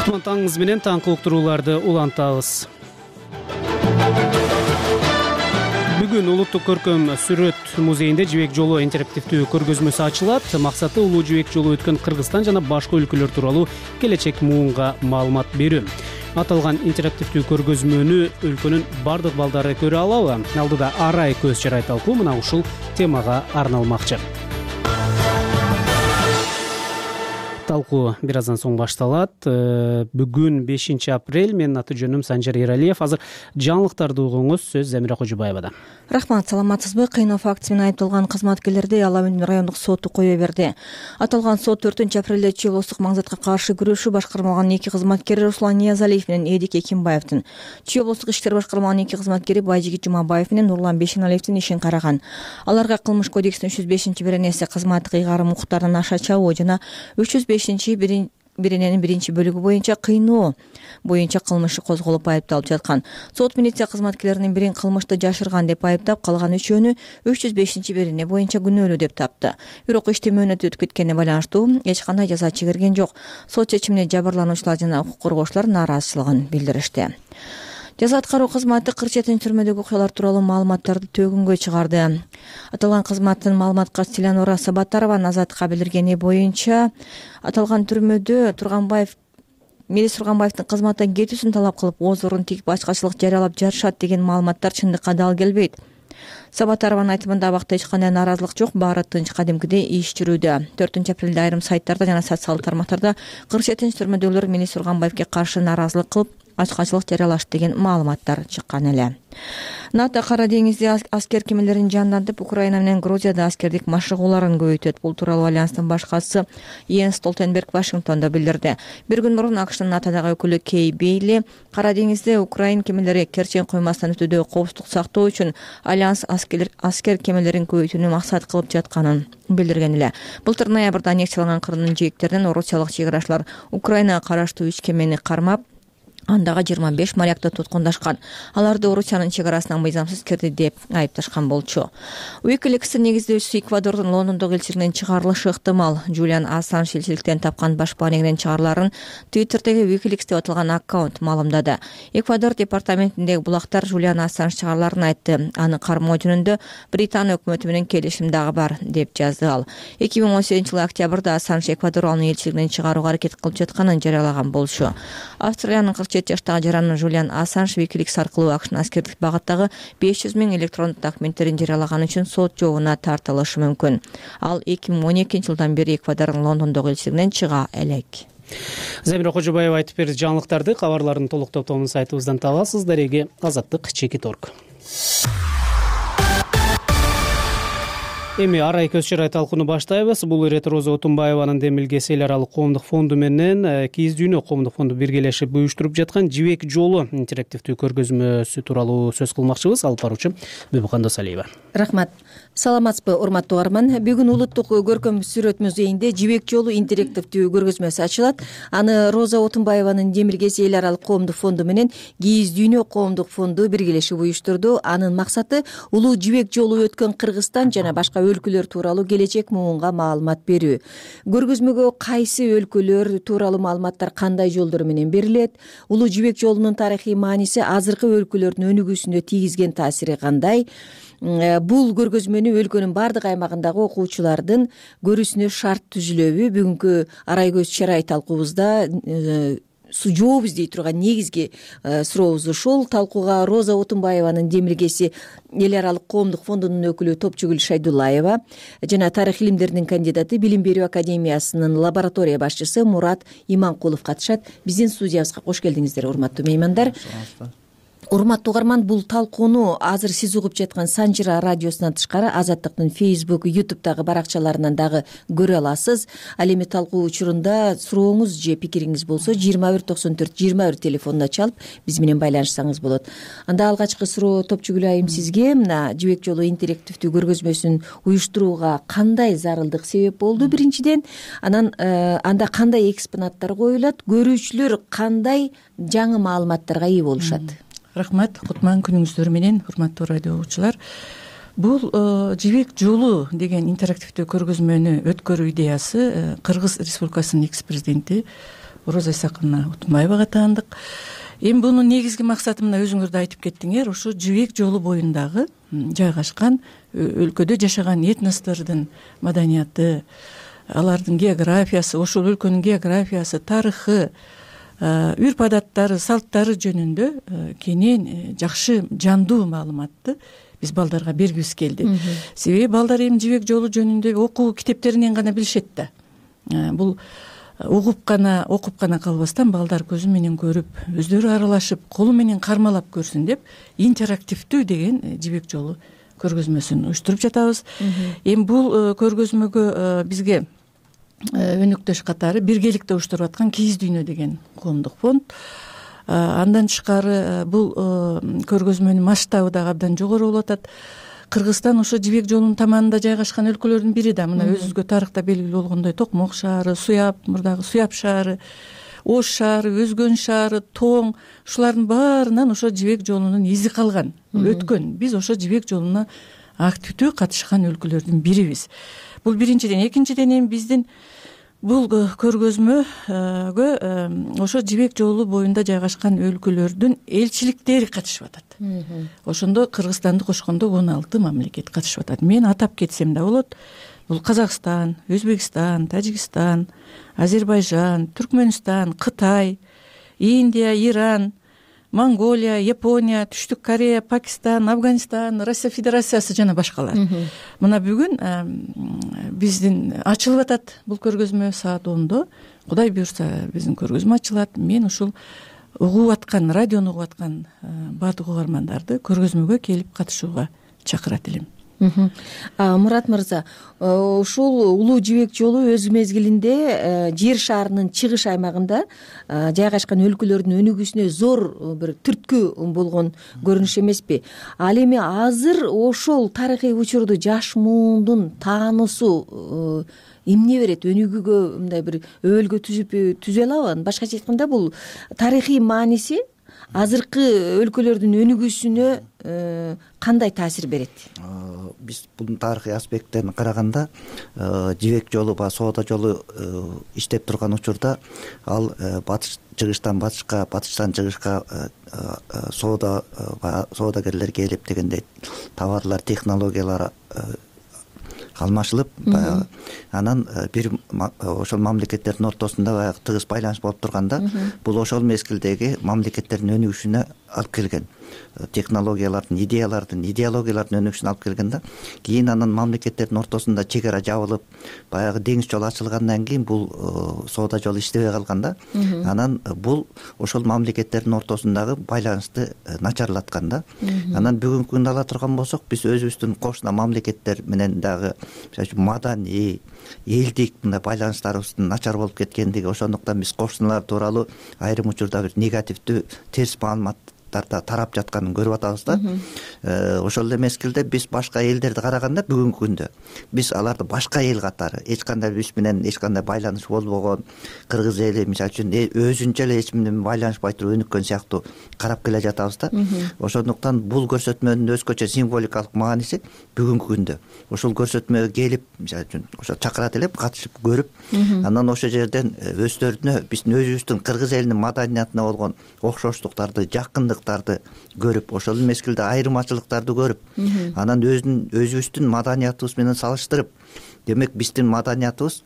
Кутман таңыңыз менен таңкы уктурууларды улантабыз. Бүгүн Улуттук көркөм сүрөт музейинде Жибек жолу интерактивдүү көргөзмөсү ачылат. Максаты улуу жибек жолу өткөн Кыргызстан жана башка өлкөлөр тууралуу келечек муунга маалымат берүү. Аталган интерактивдүү көргөзмөнү өлкөнүн бардык балдары көрө алабы? Алдыда арай көз чарай талкуу мына ушул темага арналмакчы. Талкуу бир аздан соң башталат. Бүгүн 5 апрель, менин аты жөнүм Санжар Иралиев. Азыр жаңылыктарды угуңуз, сөз Замира Кожубаевада. Рахмат, саламатсызбы? Кыйноо фактысы менен айыпталган кызматкерлерди Ала Абад райондук соту кое берди. Аталган сот 4-апрелде Чүй облустук маңзатка каршы күрөшүү башкармалыгынын 2 кызматкери Руслан Ниязалиев менен Эдик Экимбаевдин, Чүй облустук иштер башкармалыгынын 2 кызматкери Байжигит Жумабаев менен Нурлан Бешеналиевдин ишин караган. Аларга Кылмыш кодексинин 305-беренеси кызматтык ыйгарым укуктарынан аша чабуу жана 305-берененин 1-бөлүгү боюнча кыйноо боюнча кылмышы козголуп айыпталып жаткан. Сот милиция кызматкерлеринин бирин кылмышты жашырган деп айыптап, калган 3-өөнү 305-берене боюнча күнөөлүү деп тапты. Бирок ишти мөөнөтү өтүп кеткенине байланыштуу эч кандай жаза чегерген жок. Сот чечимине жабырлануучулар жана укук коргоочулар нааразычылыгын билдиришти. Жаза аткаруу кызматы 47 түрмөдөгү окуялар тууралуу маалыматтарды төгүнгө чыгарды. Аталган кызматтын маалыматка Селянора Сабатарованын Азаттыкка билдиргени боюнча, аталган түрмөдө Мелис Турганбаевдин кызматтан кетүүсүн талап кылып, ооз орун тигип ачкачылык жарыялап жатышат деген маалыматтар чындыкка дал келбейт. Сабатарованын айтымында абакта эч кандай нааразылык жок, баары тынч кадимкидей иш жүрүүдө. 4-апрелде айрым сайттарда жана социалдык тармактарда 47 түрмөдөгүлөр Мелис Турганбаевге каршы нааразылык кылып, ачкачылык жарыялашты деген маалыматтар чыккан эле. НАТО Кара деңизде аскер кемелерин жандантып, Украина менен Грузияда аскердик машыгууларын көбөйтөт. Бул тууралуу Альянстын башкачысы Йенс Столтенберг Вашингтондо билдирди. Bir күн мурун АКШнын НАТОдогу өкүлү Кей Бейли Кара деңизде Украин кемелери Керчен коймасынан өтүүдө коопсуздук сактоо үчүн Альянс аскер кемелерин көбөйтүүнү максат кылып жатканын билдирген эле. Былтыр ноябрда аннексияланган Крымдын жээктеринен орусиялык чек арачылар Украинага караштуу 3 кемени кармап, андагы 25 морякты туткундашкан. Аларды Орусиянын чек арасынан мыйзамсыз кирди деп айыпташкан болчу. Wikileaks'тин негиздөөчүсү Эквадордун Лондондогу элчилигинен чыгарылышы ыктымал. Джулиан Ассанж элчиликтен тапкан башпа негинен чыгарыларын Twitter'деги Wikileaks деп аталган аккаунт маалымдады. Эквадор департаментиндеги булактар Джулиан Ассанж чыгарыларын айтты. Аны кармоо жөнүндө Британия өкмөтү менен келишим дагы бар деп жазды ал. 2018-жылы октябрда Ассанж Эквадор анын элчилигинен чыгарууга аракет кылып жатканын жарыялаган болчу. Австралиянын 47 жаштагы жараны Джулиан Ассанж Wikileaks аркылуу АКШнын аскердик багыттагы 500 000 электрондук документтерин жарыялаганы үчүн сот жообуна тартылышы мүмкүн. Ал 2012-жылдан бери Эквадордун Лондондогу элчилигинен чыга элек. Замира Кожубаева айтып берди жаңылыктарды. Кабарлардын толук топтомун сайтыбыздан табасыз. Дареги, Азаттык, Чекит.org. Эми арай көз чырай талкууну баштайбыз. Бул ирет Роза Отунбаеванын демилгеси эл аралык коомдук фонду менен Кийиз дүйнө коомдук фонду биргелешип уюштуруп жаткан жибек жолу интерактивдүү көргөзмөсү тууралуу сөз кылмакчыбыз. Алып баруучу Бүбүкан Досалиева. Рахмат. Саламатсызбы, урматтуу угарман. Бүгүн улуттук көркөм сүрөт музейинде жибек жолу интерактивдүү көргөзмөсү ачылат. Аны Роза Отунбаеванын демилгеси эл аралык коомдук фонду менен Кийиз дүйнө коомдук фонду биргелешип уюштурду. Анын максаты улуу жибек жолу өткөн Кыргызстан жана башка өлкөлөр тууралуу келечек муунга маалымат берүү. Көргөзмөгө кайсы өлкөлөр тууралуу маалыматтар кандай жолдор менен берилет, улуу жибек жолунун тарыхый мааниси азыркы өлкөлөрдүн өнүгүүсүнө тийгизген таасири кандай? Бул көргөзмөнү өлкөнүн бардык аймагындагы окуучулардын көрүүсүнө шарт түзүлөбү? Бүгүнкү арай көз чырай талкуубузда жооп издей турган негизги сурообуз ушул. Талкууга Роза Отунбаеванын демилгеси эл аралык коомдук фондунун өкүлү Топчугүл Шайдуллаева жана тарых илимдеринин кандидаты Билим берүү академиясынын лаборатория башчысы Мурат Иманкулов катышат. Биздин студиябызга кош келдиңиздер, урматтуу меймандар. Урматтуу угарман, бул талкууну азыр сиз угуп жаткан Санжыра радиосунан тышкары Азаттыктын Facebook, YouTube'дагы баракчаларынан дагы көрө аласыз. Ал эми талкуу учурунда сурооңуз же пикириңиз болсо 2194-21 телефонуна чалып биз менен байланышсаңыз болот. Анда алгачкы суроо Топчугүл айым сизге. Мына жибек жолу интерактивдүү көргөзмөсүн уюштурууга кандай зарылдык себеп болду биринчиден? Анан анда кандай экспонаттар коюлат? Көрүүчүлөр кандай жаңы маалыматтарга ээ болушат? Рахмат, кутман күнүңүздөр менен, урматтуу радио угуучулар. Бул жибек жолу деген интерактивдүү көргөзмөнү өткөрүү идеясы Кыргыз Республикасынын экс-президенти Роза Исаковна Отунбаевага таандык. Эми бунун негизги максаты мына өзүңөр да айтып кеттиңер, ушу жибек жолу боюндагы жайгашкан өлкөдө жашаган этностордун маданияты, алардын географиясы, ошол өлкөнүн географиясы, тарыхы, үрп адаттары, салттары жөнүндө кенен жакшы жандуу маалыматты биз балдарга бергибиз келди. Себеби балдар эми жибек жолу жөнүндө окуу китептеринен гана билишет да. Бул окуп гана калбастан балдар көзү менен көрүп, өздөрү аралашып, колу менен кармалап көрсүн деп интерактивдүү деген жибек жолу көргөзмөсүн уюштуруп жатабыз. Эми бул көргөзмөгө бизге өнөктөш катары биргеликте уюштуруп аткан Кийиз дүйнө деген коомдук фонд. Андан тышкары бул көргөзмөнүн масштабы дагы абдан жогору болуп атат. Кыргызстан ошо жибек жолунун таманында жайгашкан өлкөлөрдүн бири да. Мына өзүбүзгө тарыхта белгилүү болгондой Токмок шаары, Суяб, мурдагы Суяб шаары, Ош шаары, Өзгөн шаары, Тоң, ушулардын баарынан ошо жибек жолунун изи калган, өткөн. Биз ошо жибек жолуна активдүү катышкан өлкөлөрдүн бирибиз. Бул биринчиден. Экинчиден эми биздин бул көргөзмөгө ошо жибек жолу боюнда жайгашкан өлкөлөрдүн элчиликтери катышып атат. Ошондо Кыргызстанды кошкондо 16 мамлекет катышып атат. Мен атап кетсем да болот. Бул Казакстан, Өзбекстан, Тажикстан, Азербайжан, Түркмөнстан, Кытай, Индия, Иран, Монголия, Япония, Түштүк Корея, Пакистан, Афганистан, Россия Федерациясы жана башкалар. Мына бүгүн биздин ачылып атат бул көргөзмө саат 10-до. Кудай буйрса биздин көргөзмө ачылат. Мен ушул угуп аткан, радиону угуп аткан баардык угармандарды көргөзмөгө келип катышууга чакырат элем. Мурат мырза, ушул улуу жибек жолу өз мезгилинде жер шаарынын чыгыш аймагында жайгашкан өлкөлөрдүн өнүгүүсүнө зор бир түрткү болгон көрүнүш эмеспи? Ал эми азыр ошол тарыхый учурду жаш муундун таануусу эмне берет? Өнүгүүгө мындай бир өбөлгө түзө алабы? Башкача айтканда, бул тарыхый мааниси азыркы өлкөлөрдүн өнүгүүсүнө кандай таасир берет? Биз бул тарыхый аспекттен караганда жибек жолу ба соода жолу иштеп турган учурда ал чыгыштан батышка, батыштан чыгышка соодагерлер келип дегендей товарлар, технологиялар алмашылып, анан бир ошол мамлекеттердин ортосунда баягы тыгыз байланыш болуп турганда, бул ошол мезгилдеги мамлекеттердин өнүгүшүнө алып келген. технологиялардын, идеологиялардын өнүгүшүнө алып келген да. Кийин анан мамлекеттердин ортосунда чек ара жабылып, баягы деңиз жолу ачылгандан кийин бул соода жолу иштебей калган да. Анан бул ошол мамлекеттердин ортосундагы байланышты начарлаткан да. Анан бүгүнкү күндө ала турган болсок, биз өзүбүздүн кошуна мамлекеттер менен дагы мисалы үчүн маданий, элдик мындай байланыштарыбыздын начар болуп кеткендиги, ошондуктан биз кошуналар тууралуу айрым учурда бир негативдүү, терс маалыматтарда тарап жатканын көрүп атабыз да. Ошол эле мезгилде биз башка элдерди караганда бүгүнкү күндө биз аларды башка эл катары эч кандай биз менен эч кандай байланыш болбогон кыргыз эли мисалы үчүн өзүнчө эле эч менен байланышпай туруп өнүккөн сыяктуу карап келе жатабыз да. Ошондуктан бул көрсөтмөнүн өзгөчө символикалык мааниси бүгүнкү күндө ошол көрсөтмөгө келип, мисалы үчүн ошо чакырат элеп, катышып көрүп, анан ошол жерден өздөрүнө биздин өзүбүздүн кыргыз элинин маданиятына болгон окшоштуктарды, жакындыктарды көрүп, ошол мезгилде айырмачылыктарды көрүп, анан өзүбүздүн маданиятыбыз менен салыштырып, демек биздин маданиятыбыз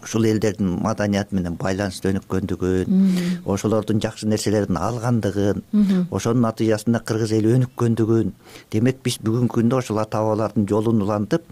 ушул элдердин маданияты менен байланышты өнүккөндүгүн, ошолордун жакшы нерселерин алгандыгын, ошонун натыйжасында кыргыз эли өнүккөндүгүн, демек биз бүгүнкү күндө ошол ата бабалардын жолун улантып,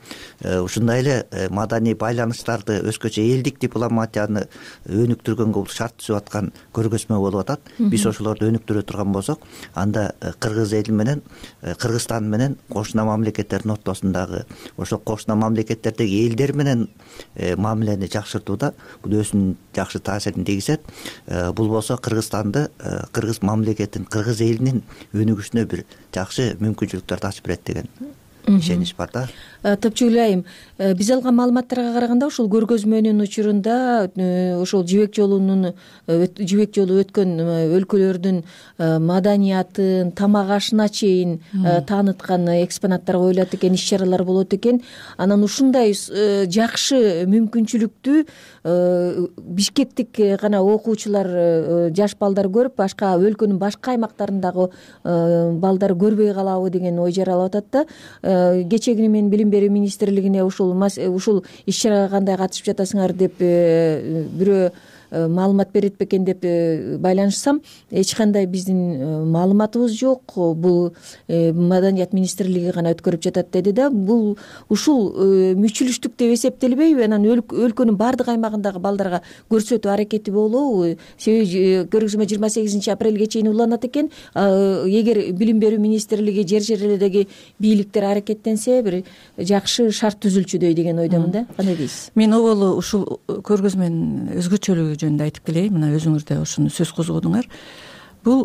ушундай эле маданий байланыштарды, өзгөчө элдик дипломатияны өнүктүргөнгө бул шарт түзүп аткан көргөзмө болуп атат. Биз ошолорду өнүктүрө турган болсок, анда кыргыз эли менен, Кыргызстан менен кошуна мамлекеттердин ортосундагы, ошол кошуна мамлекеттердеги элдер менен мамилени жакшыртууда бул өзүнүн жакшы таасирин тийгизет. Бул болсо Кыргызстанды, кыргыз мамлекетин, кыргыз элинин өнүгүшүнө бир жакшы мүмкүнчүлүктөрдү ачып берет деген ишенич бар да. Топчугүл айым, биз алган маалыматтарга караганда ушул көргөзмөнүн учурунда ошол жибек жолу өткөн өлкөлөрдүн маданиятын, тамак ашына чейин тааныткан экспонаттар коюлат экен, иш-чаралар болот экен. Анан ушундай жакшы мүмкүнчүлүктү бишкектик гана окуучулар, жаш балдар көрүп, башка өлкөнүн башка аймактарындагы балдар көрбөй калабы деген ой жаралып атат да. Кечээкүнү мен билим берүү министрлигине ушул иш-чарага кандай катышып жатасыңар деп бирөө маалымат берет бекен деп байланышсам, эч кандай биздин маалыматыбыз жок, бул маданият министрлиги гана өткөрүп жатат деди да. Бул ушул мүчүлүштүк деп эсептелбейби? Анан өлкөнүн баардык аймагындагы балдарга көрсөтүү аракети болобу? Себеби көргөзмө 28 апрелге чейин уланат экен. Эгер билим берүү министрлиги, жер жерлердеги бийликтер аракеттенсе, бир жакшы шарт түзүлчүдөй деген ойдомун да. Кандай дейсиз? Мен оболу ушул көргөзмөнүн өзгөчөлүгү жөнүндө айтып келейин. Мына өзүңүр да ушуну сөз козгодуңар. Бул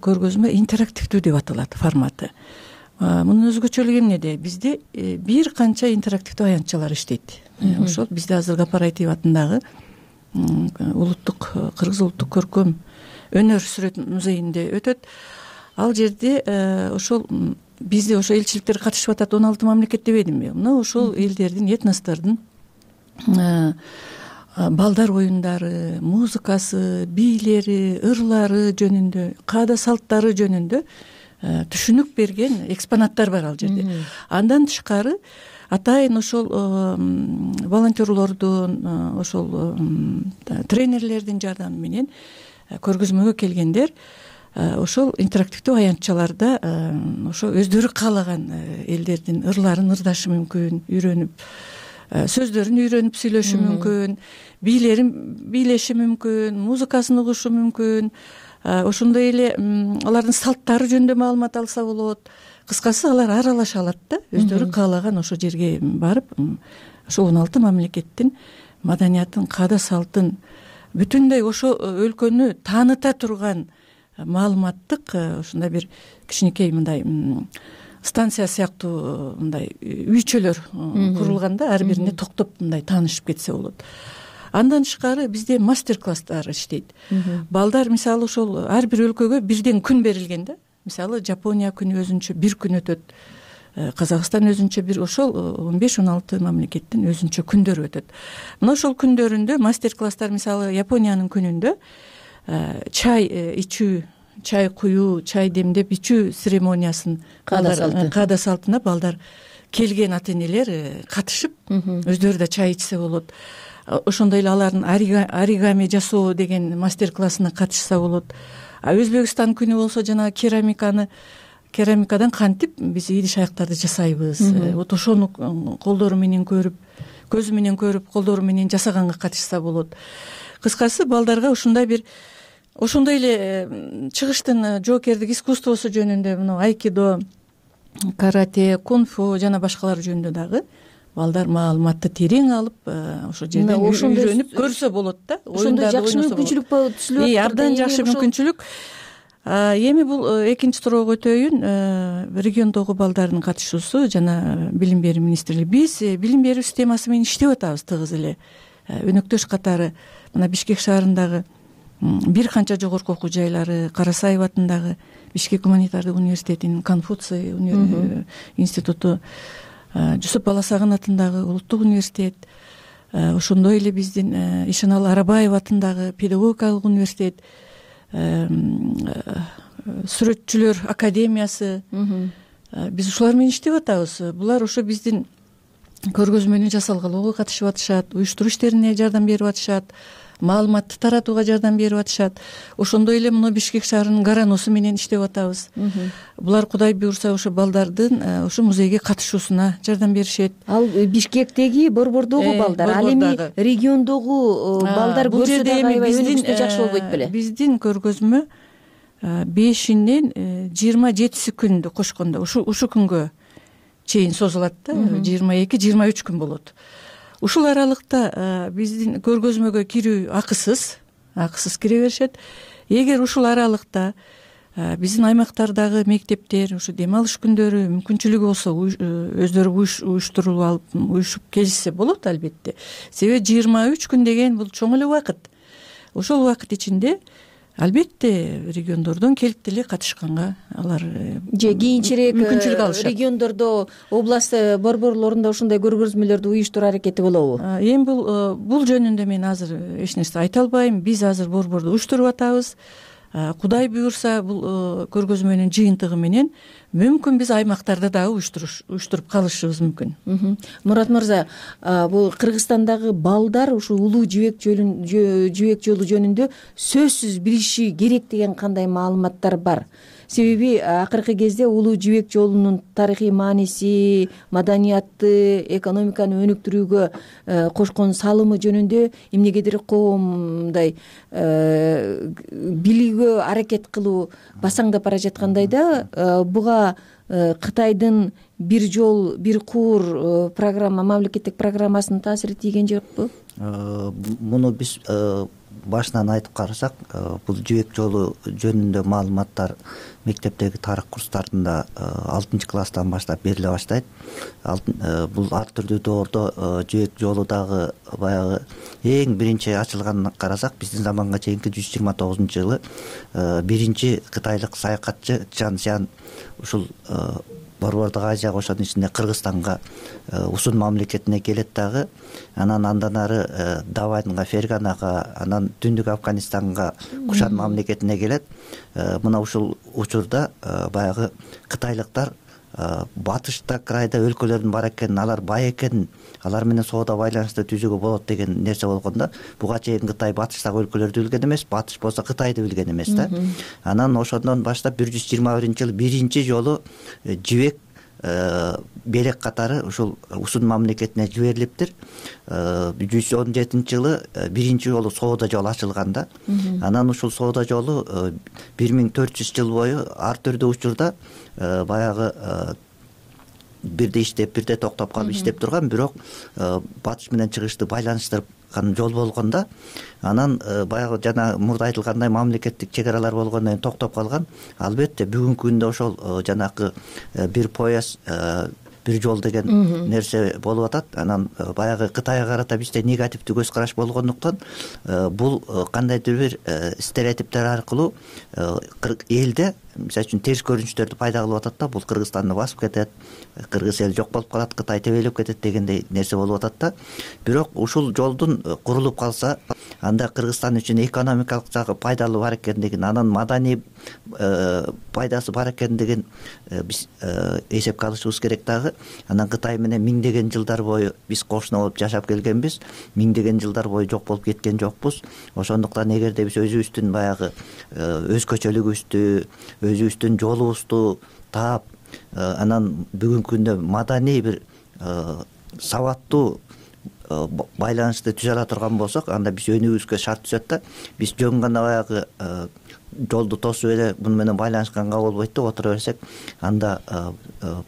көргөзмө интерактивдүү деп аталат форматы. Мунун өзгөчөлүгү эмнеде? Бизде бир канча интерактивдүү аянтчалар иштейт. Ошол бизде азыр Гапар Айтиев атындагы Кыргыз улуттук көркөм өнөр сүрөт музейинде өтөт. Ал жерде ошол бизде ошо элчиликтер катышып атат, 16 мамлекет дебедимби? Мына ошол элдердин, этностордун балдар оюндары, музыкасы, бийлери, ырлары жөнүндө, каада салттары жөнүндө түшүнүк берген экспонаттар бар ал жерде. Андан тышкары атайын ошол волонтерлордун, ошол тренерлердин жардамы менен көргөзмөгө келгендер ошол интерактивдүү аянтчаларда ошо өздөрү каалаган элдердин ырларын ырдашы мүмкүн, үйрөнүп, сөздөрүн үйрөнүп сүйлөшү мүмкүн, бийлерин бийлеши мүмкүн, музыкасын угушу мүмкүн, ошондой эле алардын салттары жөнүндө маалымат алса болот. Кыскасы алар аралаша алат да, өздөрү каалаган ошо жерге барып, ошо 16 мамлекеттин маданиятын, каада салтын, бүтүндөй ошо өлкөнү тааныта турган маалыматтык ушундай бир кичинекей мындай станция сыяктуу мындай үйчөлөр курулган да, ар бирине токтоп мындай таанышып кетсе болот. Андан тышкары бизде мастер-класстар иштейт. Балдар мисалы ошол ар бир өлкөгө бирден күн берилген да. Мисалы Жапония күнү өзүнчө бир күн өтөт. Казакстан өзүнчө бир, ошол 15-16 мамлекеттин өзүнчө күндөрү өтөт. Мына ошол күндөрүндө мастер-класстар, мисалы Япониянын күнүндө чай ичүү, чай куюу, чай демдеп ичүү церемониясын, каада салтына балдар келген ата-энелер катышып, өздөрү да чай ичсе болот. ошондой эле алардын оригами жасоо деген мастер классына катышса болот. Өзбекстан күнү болсо жанагы керамикадан кантип биз идиш аяктарды жасайбыз, вот ошону колдору менен көрүп, көзү менен көрүп, колдору менен жасаганга катышса болот. Кыскасы балдарга ушундай эле чыгыштын жоокердик искусствосу жөнүндө, мына айкидо, карате, кунг-фу жана башкалар жөнүндө дагы балдар маалыматты терең алып, ошол жерден үйрөнүп көрсө болот да. Ошондой жакшы мүмкүнчүлүк түзүлүп атат. Абдан жакшы мүмкүнчүлүк. Эми бул экинчи туурга өтөйүн, региондогу балдардын катышуусу жана билим берүү министрлиги. Биз билим берүү системасы менен иштеп атабыз тыгыз эле. Өнөктөш катары мына Бишкек шаарындагы бир канча жогорку окуу жайлары, Карасаев атындагы Бишкек гуманитардык университетинин Конфуций институту, Жусуп Баласагын атындагы улуттук университет, ошондой эле биздин Ишеналы Арабаев атындагы педагогикалык университет, сүрөтчүлөр академиясы, биз ушулар менен иштеп атабыз. Булар ошо биздин көргөзмөнү жасалгалоого катышып атышат, уюштуруу иштерине жардам берип атышат, маалыматты таратууга жардам берип атышат. Ошондой эле мына Бишкек шаарынын Гараносу менен иштеп атабыз. Булар Кудай буйрса ошо балдардын ошо музейге катышуусуна жардам беришет. Ал Бишкектеги борбордогу балдар, ал эми региондогу балдар көрсө дагы аябай өнүгүштүү жакшы болбойт беле? Биздин көргөзмө 5-ден 27 күндү кошкондо ушу күнгө чейин созулат да, 22-23 күн болот. Ушул аралыкта биздин көргөзмөгө кирүү акысыз кире беришет. Эгер ушул аралыкта биздин аймактардагы мектептер ушу дем алыш күндөрү мүмкүнчүлүгү болсо өздөрү уюштуруп алып, уюшуп келишсе болот албетте. Себеби 23 күн деген бул чоң эле убакыт. Ошол убакыт ичинде албетте региондордон келип деле катышканга алар же кийинчерээк мүмкүнчүлүк алышат. Региондордо, област борборлорунда ушундай көргөзмөлөрдү уюштуруу аракети болобу? Эми бул жөнүндө мен азыр эч нерсе айта албайм. Биз азыр борборду уюштуруп атабыз. Кудай буйрса бул көргөзмөнүн жыйынтыгы менен мүмкүн биз аймактарда дагы уюштуруп калышыбыз мүмкүн. Мурат мырза, бул Кыргызстандагы балдар ушу улуу жибек жолу жөнүндө сөзсүз билиши керек деген кандай маалыматтар бар? Себеби акыркы кезде улуу жибек жолунун тарыхый мааниси, маданиятты, экономиканы өнүктүрүүгө кошкон салымы жөнүндө эмнегедир коом мындай билүүгө аракет кылуу басаңдап бара жаткандай да, буга Кытайдын бир жол, бир куур программа, мамлекеттик программасынын таасири тийген жокпу? Муну биз башынан айтып карасак, бул жибек жолу жөнүндө маалыматтар мектептеги тарых курстарында 6-класстан баштап бериле баштайт. Бул ар түрдүү доордо жибек жолу дагы баягы эң биринчи ачылганын карасак, биздин заманга чейинки 129-жылы биринчи кытайлык саякатчы Чжан Сян ушул Борбордук Азияга, ошонун ичинде Кыргызстанга, Усун мамлекетине келет дагы. Андан ары Даванга, Ферганага, анан Түндүк Афганистанга, Кушан мамлекетине келет. Мына ушул учурда баягы кытайлыктар батышта крайда өлкөлөрдүн бар экенин, алар бай экенин, алар менен соода байланышты түзүүгө болот деген нерсе болгондо, буга чейин Кытай батыштагы өлкөлөрдү билген эмес, батыш болсо Кытайды билген эмес да. Анан ошондон баштап 121-жылы биринчи жолу жибек белек катары ушул Усун мамлекетине жиберилиптир. 117-жылы биринчи жолу соода жолу ачылган да. Анан ушул соода жолу 1400 жыл бою ар түрдүү учурда баягы бирде иштеп, бирде токтоп калып иштеп турган, бирок батыш менен чыгышты байланыштырган жол болгондо, анан баягы жана мурда айтылгандай мамлекеттик чек аралар болгондон кийин токтоп калган. Албетте бүгүнкү күндө ошол жанакы бир пояс, бир жол деген нерсе болуп атат. Анан баягы Кытайга карата бизде негативдүү көз караш болгондуктан бул кандайдыр бир стереотиптер аркылуу элде мисалы үчүн терс көрүнүштөрдү пайда кылып атат да, бул Кыргызстанды басып кетет, кыргыз эл жок болуп калат, Кытай тебелеп кетет дегендей нерсе болуп атат да. Бирок ушул жолдун курулуп калса, анда Кыргызстан үчүн экономикалык жагы пайдалуу бар экендигин, анан маданий пайдасы бар экендигин биз эсепке алышыбыз керек дагы. Анан Кытай менен миңдеген жылдар бою биз кошуна болуп жашап келгенбиз, миңдеген жылдар бою жок болуп кеткен жокпуз. Ошондуктан эгерде биз өзүбүздүн баягы өзгөчөлүгүбүздү, өзүбүздүн жолубузду таап, анан бүгүнкү күндө маданий бир сабаттуу байланышты түзө ала турган болсок, анда биз өнүгүүбүзгө шарт түзөт да. Биз жөн гана баягы жолду тосуп эле буну менен байланышканга болбойт деп отура берсек, анда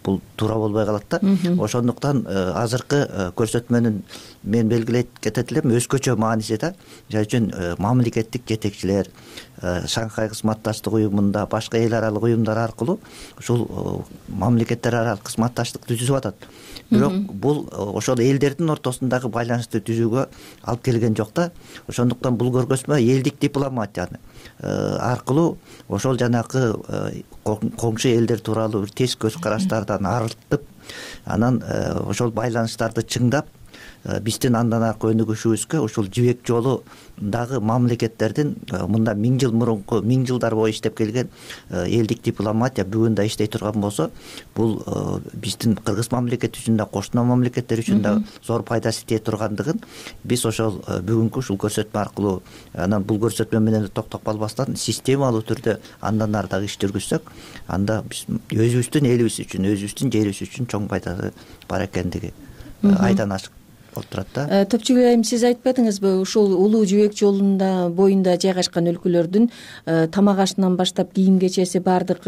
бул туура болбой калат да. Ошондуктан азыркы көрсөтмөнүн мен белгилей кетет элем өзгөчө мааниси да. Мисалы үчүн мамлекеттик жетекчилер Шанхай кызматташтык уюмунда, башка эл аралык уюмдар аркылуу ушул мамлекеттер аралык кызматташтык түзүп атат. Бирок бул ошол элдердин ортосундагы байланышты түзүүгө алып келген жок да. Ошондуктан бул көргөзмө элдик дипломатияны аркылуу ошол жанакы коңшу элдер тууралуу бир терс көз караштардан арылтып, анан ошол байланыштарды чыңдап, биздин андан аркы өнүгүшүбүзгө ушул жибек жолундагы мамлекеттердин мында миң жылдар бою иштеп келген элдик дипломатия бүгүн да иштей турган болсо, бул биздин кыргыз мамлекети үчүн да, кошуна мамлекеттер үчүн да зор пайдасы тие тургандыгын биз ошол бүгүнкү ушул көрсөтмө аркылуу, анан бул көрсөтмө менен токтоп калбастан системалуу түрдө андан ары дагы иш жүргүзсөк, анда биз өзүбүздүн элибиз үчүн, өзүбүздүн жерибиз үчүн чоң пайдасы бар экендиги айдан ашык болуп турат да. Топчугүл айым, сиз айтпадыңызбы, ушул улуу жибек жолунда боюнда жайгашкан өлкөлөрдүн тамак ашынан баштап кийим-кечеси баардык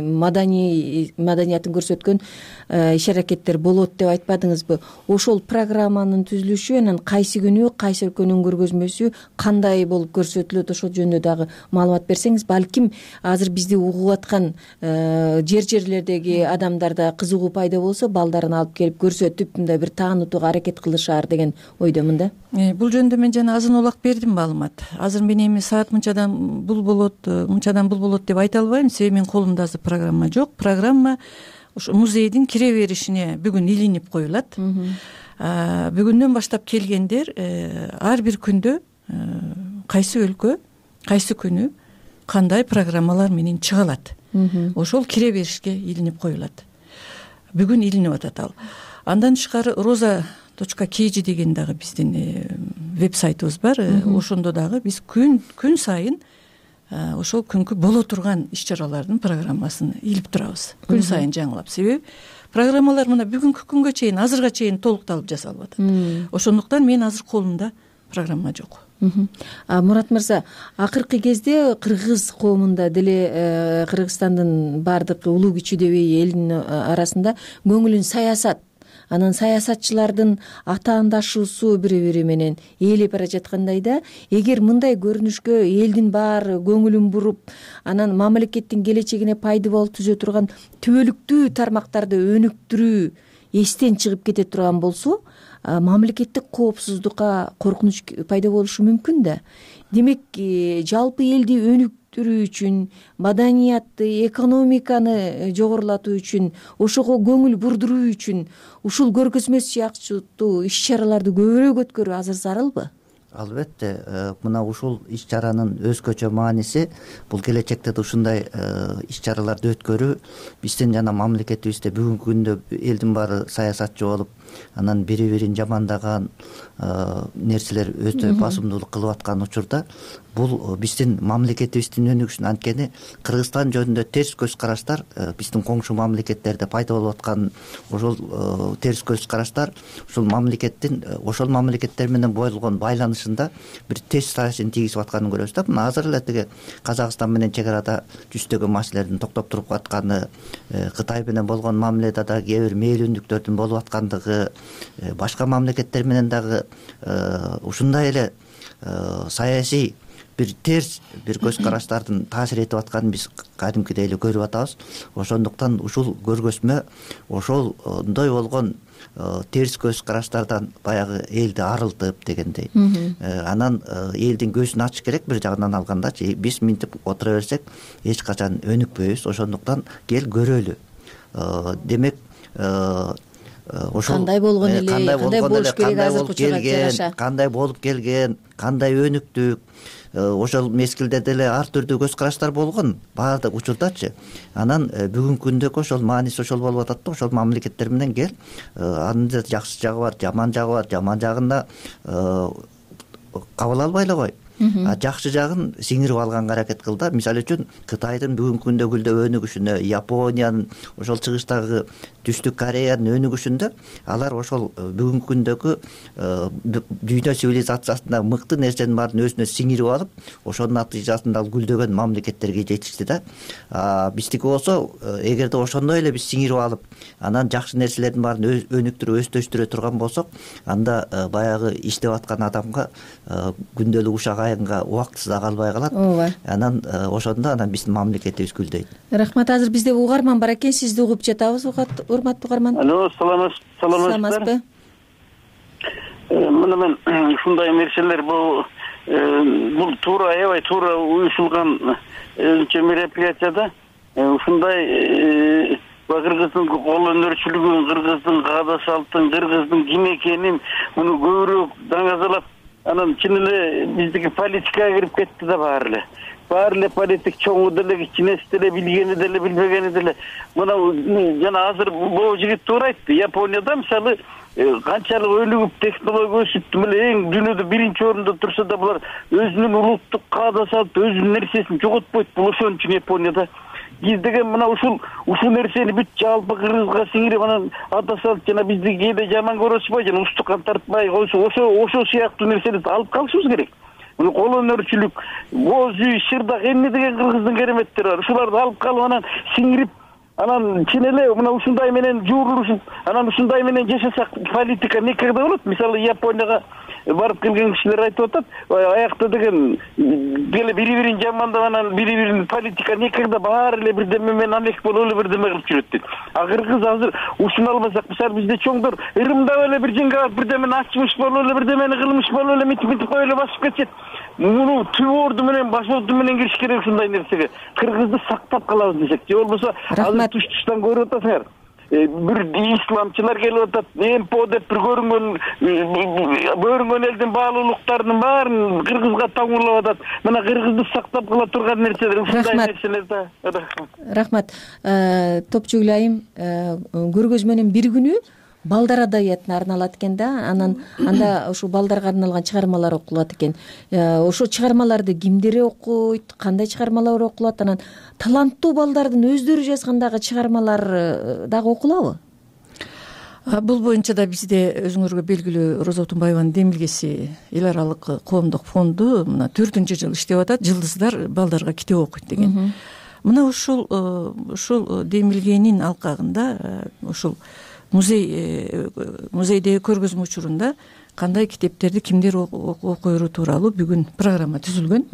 маданиятын көрсөткөн иш-аракеттер болот деп айтпадыңызбы? Ошол программанын түзүлүшү, анан кайсы күнү кайсы өлкөнүн көргөзмөсү кандай болуп көрсөтүлөт, ошол жөнүндө дагы маалымат берсеңиз, балким азыр бизди угуп аткан жерлердеги адамдарда кызыгуу пайда болсо, балдарын алып келип көрсөтүп, мындай бир таанытууга аракет кылышаар деген ойдомун да. Бул жөнүндө мен жана азын улак бердим маалымат. Азыр мен эми саат мынчадан бул болот деп айта албайм, себеби менин колумда азыр программа жок. Программа ошо музейдин кире беришине бүгүн илинип коюлат. Бүгүндөн баштап келгендер ар бир күндө кайсы өлкө, кайсы күнү кандай программалар менен чыга алат, ошол кире беришке илинип коюлат. Бүгүн илинип атат ал. Андан тышкары roza.kg деген дагы биздин веб-сайтыбыз бар. Ошондо дагы биз күн сайын ошол күнкү боло турган иш-чаралардын программасын илип турабыз. Күн сайын жаңылап. Себеби программалар мына бүгүнкү күнгө чейин, азырга чейин толукталып жасалып атат. Ошондуктан мен азыр колумда программа жок. Мурат мырза, акыркы кезде кыргыз коомунда деле Кыргызстандын баардык улуу кичүүдөбөй элдин арасында көңүлүн саясат, анан саясатчылардын атаандашуусу бири-бири менен ээлеп бара жаткандай да, эгер мындай көрүнүшкө элдин баары көңүлүн буруп, анан мамлекеттин келечегине пайдалуу түзө турган түбөлүктүү тармактарды өнүктүрүү эстен чыгып кете турган болсо, мамлекеттик коопсуздукка коркунуч пайда болушу мүмкүн да. Демек, жалпы элди өнүктүрүү үчүн, маданиятты, экономиканы жогорулатуу үчүн, ошого көңүл бурдуруу үчүн ушул көргөзмө сыяктуу иш-чараларды көбүрөөк өткөрүү азыр зарылбы? Албетте, мына ушул иш-чаранын өзгөчө мааниси бул келечекте да ушундай иш-чараларды өткөрүү биздин жана мамлекетибизде бүгүнкү күндө элдин баары саясатчы болуп, анан бири-бирин жамандаган нерселер өтө басымдуулук кылып аткан учурда бул биздин мамлекетибиздин өнүгүшүн, анткени Кыргызстан жөнүндө терс көз караштар биздин коңшу мамлекеттерде пайда болуп аткан ошол терс көз караштар ушул мамлекеттин ошол мамлекеттер менен болгон байланышында бир терс таасирин тийгизип атканын көрөбүз да. Мына азыр эле тиги Казакстан менен чек арада жүздөгөн маселелердин токтоп туруп атканы, Кытай менен болгон мамиледе дагы кээ бир мээлөндүктөрдүн болуп аткандыгы, башка мамлекеттер менен дагы ушундай эле саясий бир терс бир көз караштардын таасир этип атканын биз кадимкидей эле көрүп атабыз. Ошондуктан ушул көргөзмө ошондой болгон терс көз караштардан баягы элди арылтып дегендей, анан элдин көзүн ачыш керек. Бир жагынан алгандачы биз минтип отура берсек эч качан өнүкпөйбүз. Ошондуктан кел көрөлү. Демек ошол кандай болгон эле, кандай болуш керек, азыркы учурга жараша кандай болуп келген, кандай өнүктүк, ошол мезгилде деле ар түрдүү көз караштар болгон баардык учурдачы. Анан бүгүнкү күндөгү ошол мааниси ошол болуп атат да. Ошол мамлекеттер менен кел, анын да жакшы жагы бар, жаман жагы бар. Жаман жагында кабыл албай эле кой, жакшы жагын сиңирип алганга аракет кыл да. Мисалы үчүн Кытайдын бүгүнкү күндөгү өнүгүшүнө, Япониянын, ошол чыгыштагы Түштүк Кореянын өнүгүшүндө алар ошол бүгүнкү күндөгү дүйнө цивилизациясында мыкты нерсенин баарын өзүнө сиңирип алып, ошонун натыйжасында ал гүлдөгөн мамлекеттерге жетишти да. Биздики болсо, эгерде ошондой эле биз сиңирип алып, анан жакшы нерселердин баарын өнүктүрүп, өстөштүрө турган болсок, анда баягы иштеп аткан адамга күндөлүк ушак айынга убактысы да калбай калат. Анан ошондо анан биздин мамлекетибиз гүлдөйт. Рахмат. Азыр бизде угарман бар экен, сизди угуп жатабыз. Урматтуу угарман. Алло, саламатсызбы? Мына мен ушундай нерселер бул туура, аябай туура уюшулган өзүнчө мероприятияда ушундай кыргыздын кол өнөрчүлүгүн, кыргыздын каада салттын, кыргыздын ким экенин муну көбүрөөк даңазалап, анан чын эле биздики политикага кирип кетти да баары эле политик чоңу деле, кичинеси деле, билгени деле, билбегени деле. Мына жана азыр бул жигит туура айтты. Японияда мисалы канчалык өнүгүп, технология өсүп, эң дүйнөдө биринчи орунда турса да булар өзүнүн улуттук каада салт, өзүнүн нерсесин жоготпойт. Бул ошон үчүн Японияда биз деген мына ушул нерсени бүт жалпы кыргызга сиңирип, анан ата салт жана бизди кээде жаман көрүшпөй, жана устукан тартпай койсо, ошол сыяктуу нерселерди алып калышыбыз керек. Муну кол өнөрчүлүк, боз үй, шырдак, эмне деген кыргыздын кереметтери бар. Ушуларды алып калып, анан сиңирип, анан чын эле мына ушундай менен жуурулушуп, анан ушундай менен жашасак, политика никогда болот. Мисалы Японияга барып келген кишилер айтып атат, аякта деген деле бири-бирин жамандап, анан бири-бирин политика никогда баары эле бирдеме менен амек болуп эле бирдеме кылып жүрөт дейт. А кыргыз азыр ушуну албасак, мисалы бизде чоңдор ырымдап эле бир жеңге алып бирдемени ачмыш болуп эле, бирдемени кылмыш болуп эле, митип коюп эле басып кетишет. Муну түбөрдү менен, башорду менен кириш керек ушундай нерсеге. Кыргызды сактап калабыз десек, же болбосо азыр туш-туштан көрүп атасыңар. Бир исламчылар келип атат, МПО деп бир көрүнгөн элдин баалуулуктарынын баарын кыргызга таңуулап атат. Мына кыргызды сактап кала турган нерселер, ушундай нерселер да. Рахмат. Топчугул айым, көргөзмөнүн бир күнү балдар адабиятына арналат экен да, анда ушул балдарга арналган чыгармалар окулат экен. Ошо чыгармаларды кимдер окуйт, кандай чыгармалар окулат, анан таланттуу балдардын өздөрү жазган дагы чыгармалар дагы окулабы? Бул боюнча да бизде өзүңөргө белгилүү Роза Отунбаеванын демилгеси эл аралык коомдук фонду мына 4-жыл иштеп атат. Жылдыздар балдарга китеп окуйт деген. Мына ушул демилгенин алкагында ушул музейдеги көргөзмө учурунда кандай китептерди кимдер окуйру тууралуу бүгүн программа түзүлгөн.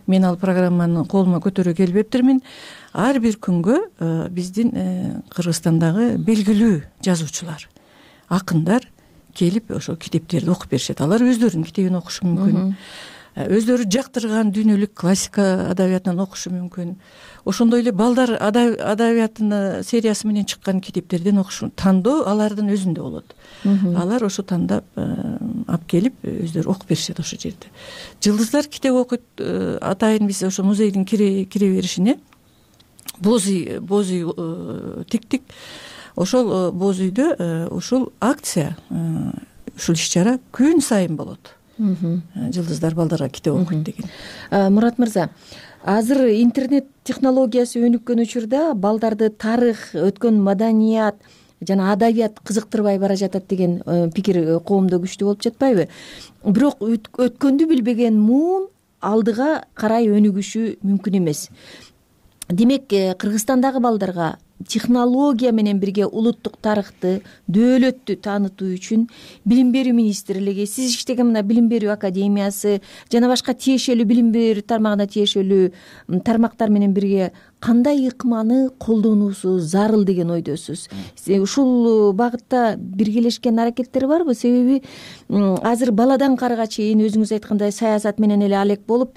Мен ал программаны колума көтөрө келбептирмин. Ар бир күнгө биздин Кыргызстандагы белгилүү жазуучулар, акындар келип ошо китептерди окуп беришет. Алар өздөрүнүн китебин окушу мүмкүн. Өздөрү жактырган дүйнөлүк классика адабиятынан окушу мүмкүн. Ошондой эле балдар адабиятынын сериясы менен чыккан китептерден окушу, тандоо алардын өзүндө болот. Алар ошо тандап алып келип өздөрү окуп беришет ошол жерде. Жылдыздар китеп окуйт. Атайын биз ошо музейдин кире беришине боз үй тиктик. Ошол боз үйдө ушул акция, ушул иш-чара күн сайын болот. Жылдыздар балдарга китеп окуйт деген. Мурат мырза, азыр интернет технологиясы өнүккөн учурда балдарды тарых, өткөн маданият жана адабият кызыктырбай бара жатат деген пикир коомдо күчтүү болуп жатпайбы? Бирок өткөндү билбеген муун алдыга карай өнүгүшү мүмкүн эмес. Демек, Кыргызстандагы балдарга технология менен бирге улуттук тарыхты, дөөлөттү таанытуу үчүн билим берүү министрлиги, сиз иштеген мына билим берүү академиясы жана башка тиешелүү билим берүү тармагына тиешелүү тармактар менен бирге кандай ыкманы колдонуусу зарыл деген ойдосуз? Ушул багытта биргелешкен аракеттер барбы? Себеби азыр баладан карыга чейин өзүңүз айткандай саясат менен эле алек болуп,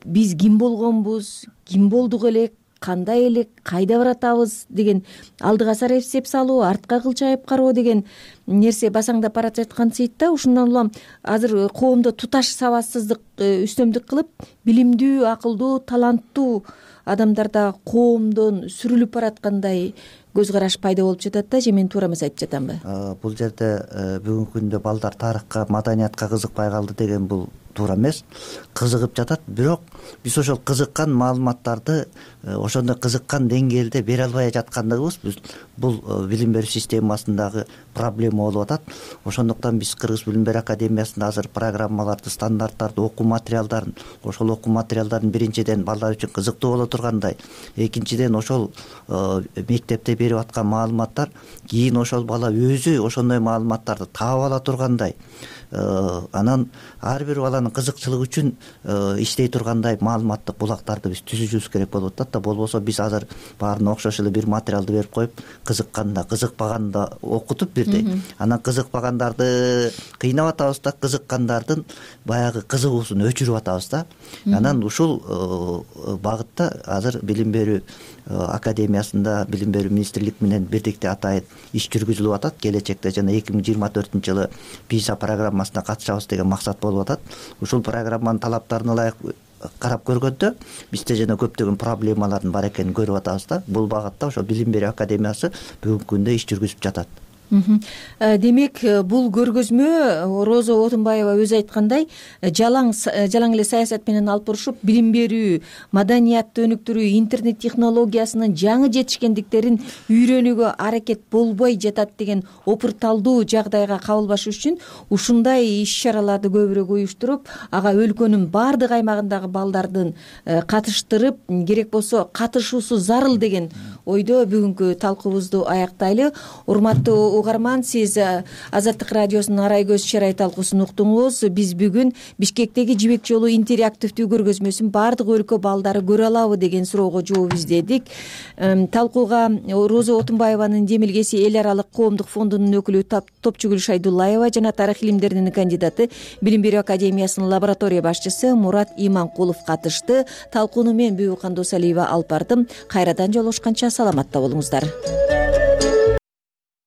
биз ким болгонбуз, ким болдук элек, кандай элек, кайда баратабыз деген алдыга сары эсеп салуу, артка кылчайып кароо деген нерсе басаңдап бара жаткансыйт да. Ушундан улам азыр коомдо туташ сабатсыздык үстөмдүк кылып, билимдүү, акылдуу, таланттуу адамдар да коомдон сүрүлүп бараткандай көз караш пайда болуп жатат да. Же мен туура эмес айтып жатамбы? Бул жерде бүгүнкү күндө балдар тарыхка, маданиятка кызыкпай калды деген бул туура эмес. Кызыгып жатат, бирок биз ошол кызыккан маалыматтарды ошондой кызыккан деңгээлде бере албай жаткандыгыбыз бул билим берүү системасындагы проблема болуп атат. Ошондуктан биз Кыргыз билим берүү академиясында азыр программаларды, стандарттарды, окуу материалдарын, ошол окуу материалдарын биринчиден балдар үчүн кызыктуу боло тургандай, экинчиден ошол мектепте берип аткан маалыматтар кийин ошол бала өзү ошондой маалыматтарды таап ала тургандай, анан ар бир баланын кызыкчылыгы үчүн иштей тургандай маалыматтык булактарды биз түзүшүбүз керек болуп атат да. Болбосо биз азыр баарына окшош эле бир материалды берип коюп, кызыкканда, кызыкпаганда окутуп бирдей, анан кызыкпагандарды кыйнап атабыз да, кызыккандардын баягы кызыгуусун өчүрүп атабыз да. Анан ушул багытта азыр билим берүү академиясында билим берүү министрлик менен бирдикте атайын иш жүргүзүлүп атат. Келечекте жана 2024-жылы PISA программасына катышабыз деген максат болуп атат. Ушул программанын талаптарына ылайык карап көргөндө бизде жана көптөгөн проблемалардын бар экенин көрүп атабыз да. Бул багытта ошо билим берүү академиясы бүгүнкү күндө иш жүргүзүп жатат. Демек, бул көргөзмө Роза Отунбаева өзү айткандай жалаң эле саясат менен алып барышып, билим берүү, маданиятты өнүктүрүү, интернет технологиясынын жаңы жетишкендиктерин үйрөнүүгө аракет болбой жатат деген опурталдуу жагдайга кабылбаш үчүн ушундай иш-чараларды көбүрөөк уюштуруп, ага өлкөнүн баардык аймагындагы балдардын катыштырып, керек болсо катышуусу зарыл деген ойдо бүгүнкү талкуубузду аяктайлы. Урматтуу угарман, сиз Азаттык радиосунун Арай көз чарай талкуусун уктуңуз. Биз бүгүн Бишкектеги Жибек жолу интерактивдүү көргөзмөсүн баардык өлкө балдары көрө алабы деген суроого жооп издедик. Талкууга Роза Отунбаеванын демилгеси эл аралык коомдук фондунун өкүлү Топчугүл Шайдуллаева жана тарых илимдеринин кандидаты, билим берүү академиясынын лаборатория башчысы Мурат Иманкулов катышты. Талкууну мен Бүбү Кандосалиева алып бардым. Кайрадан жолугушканча саламатта болуңуздар.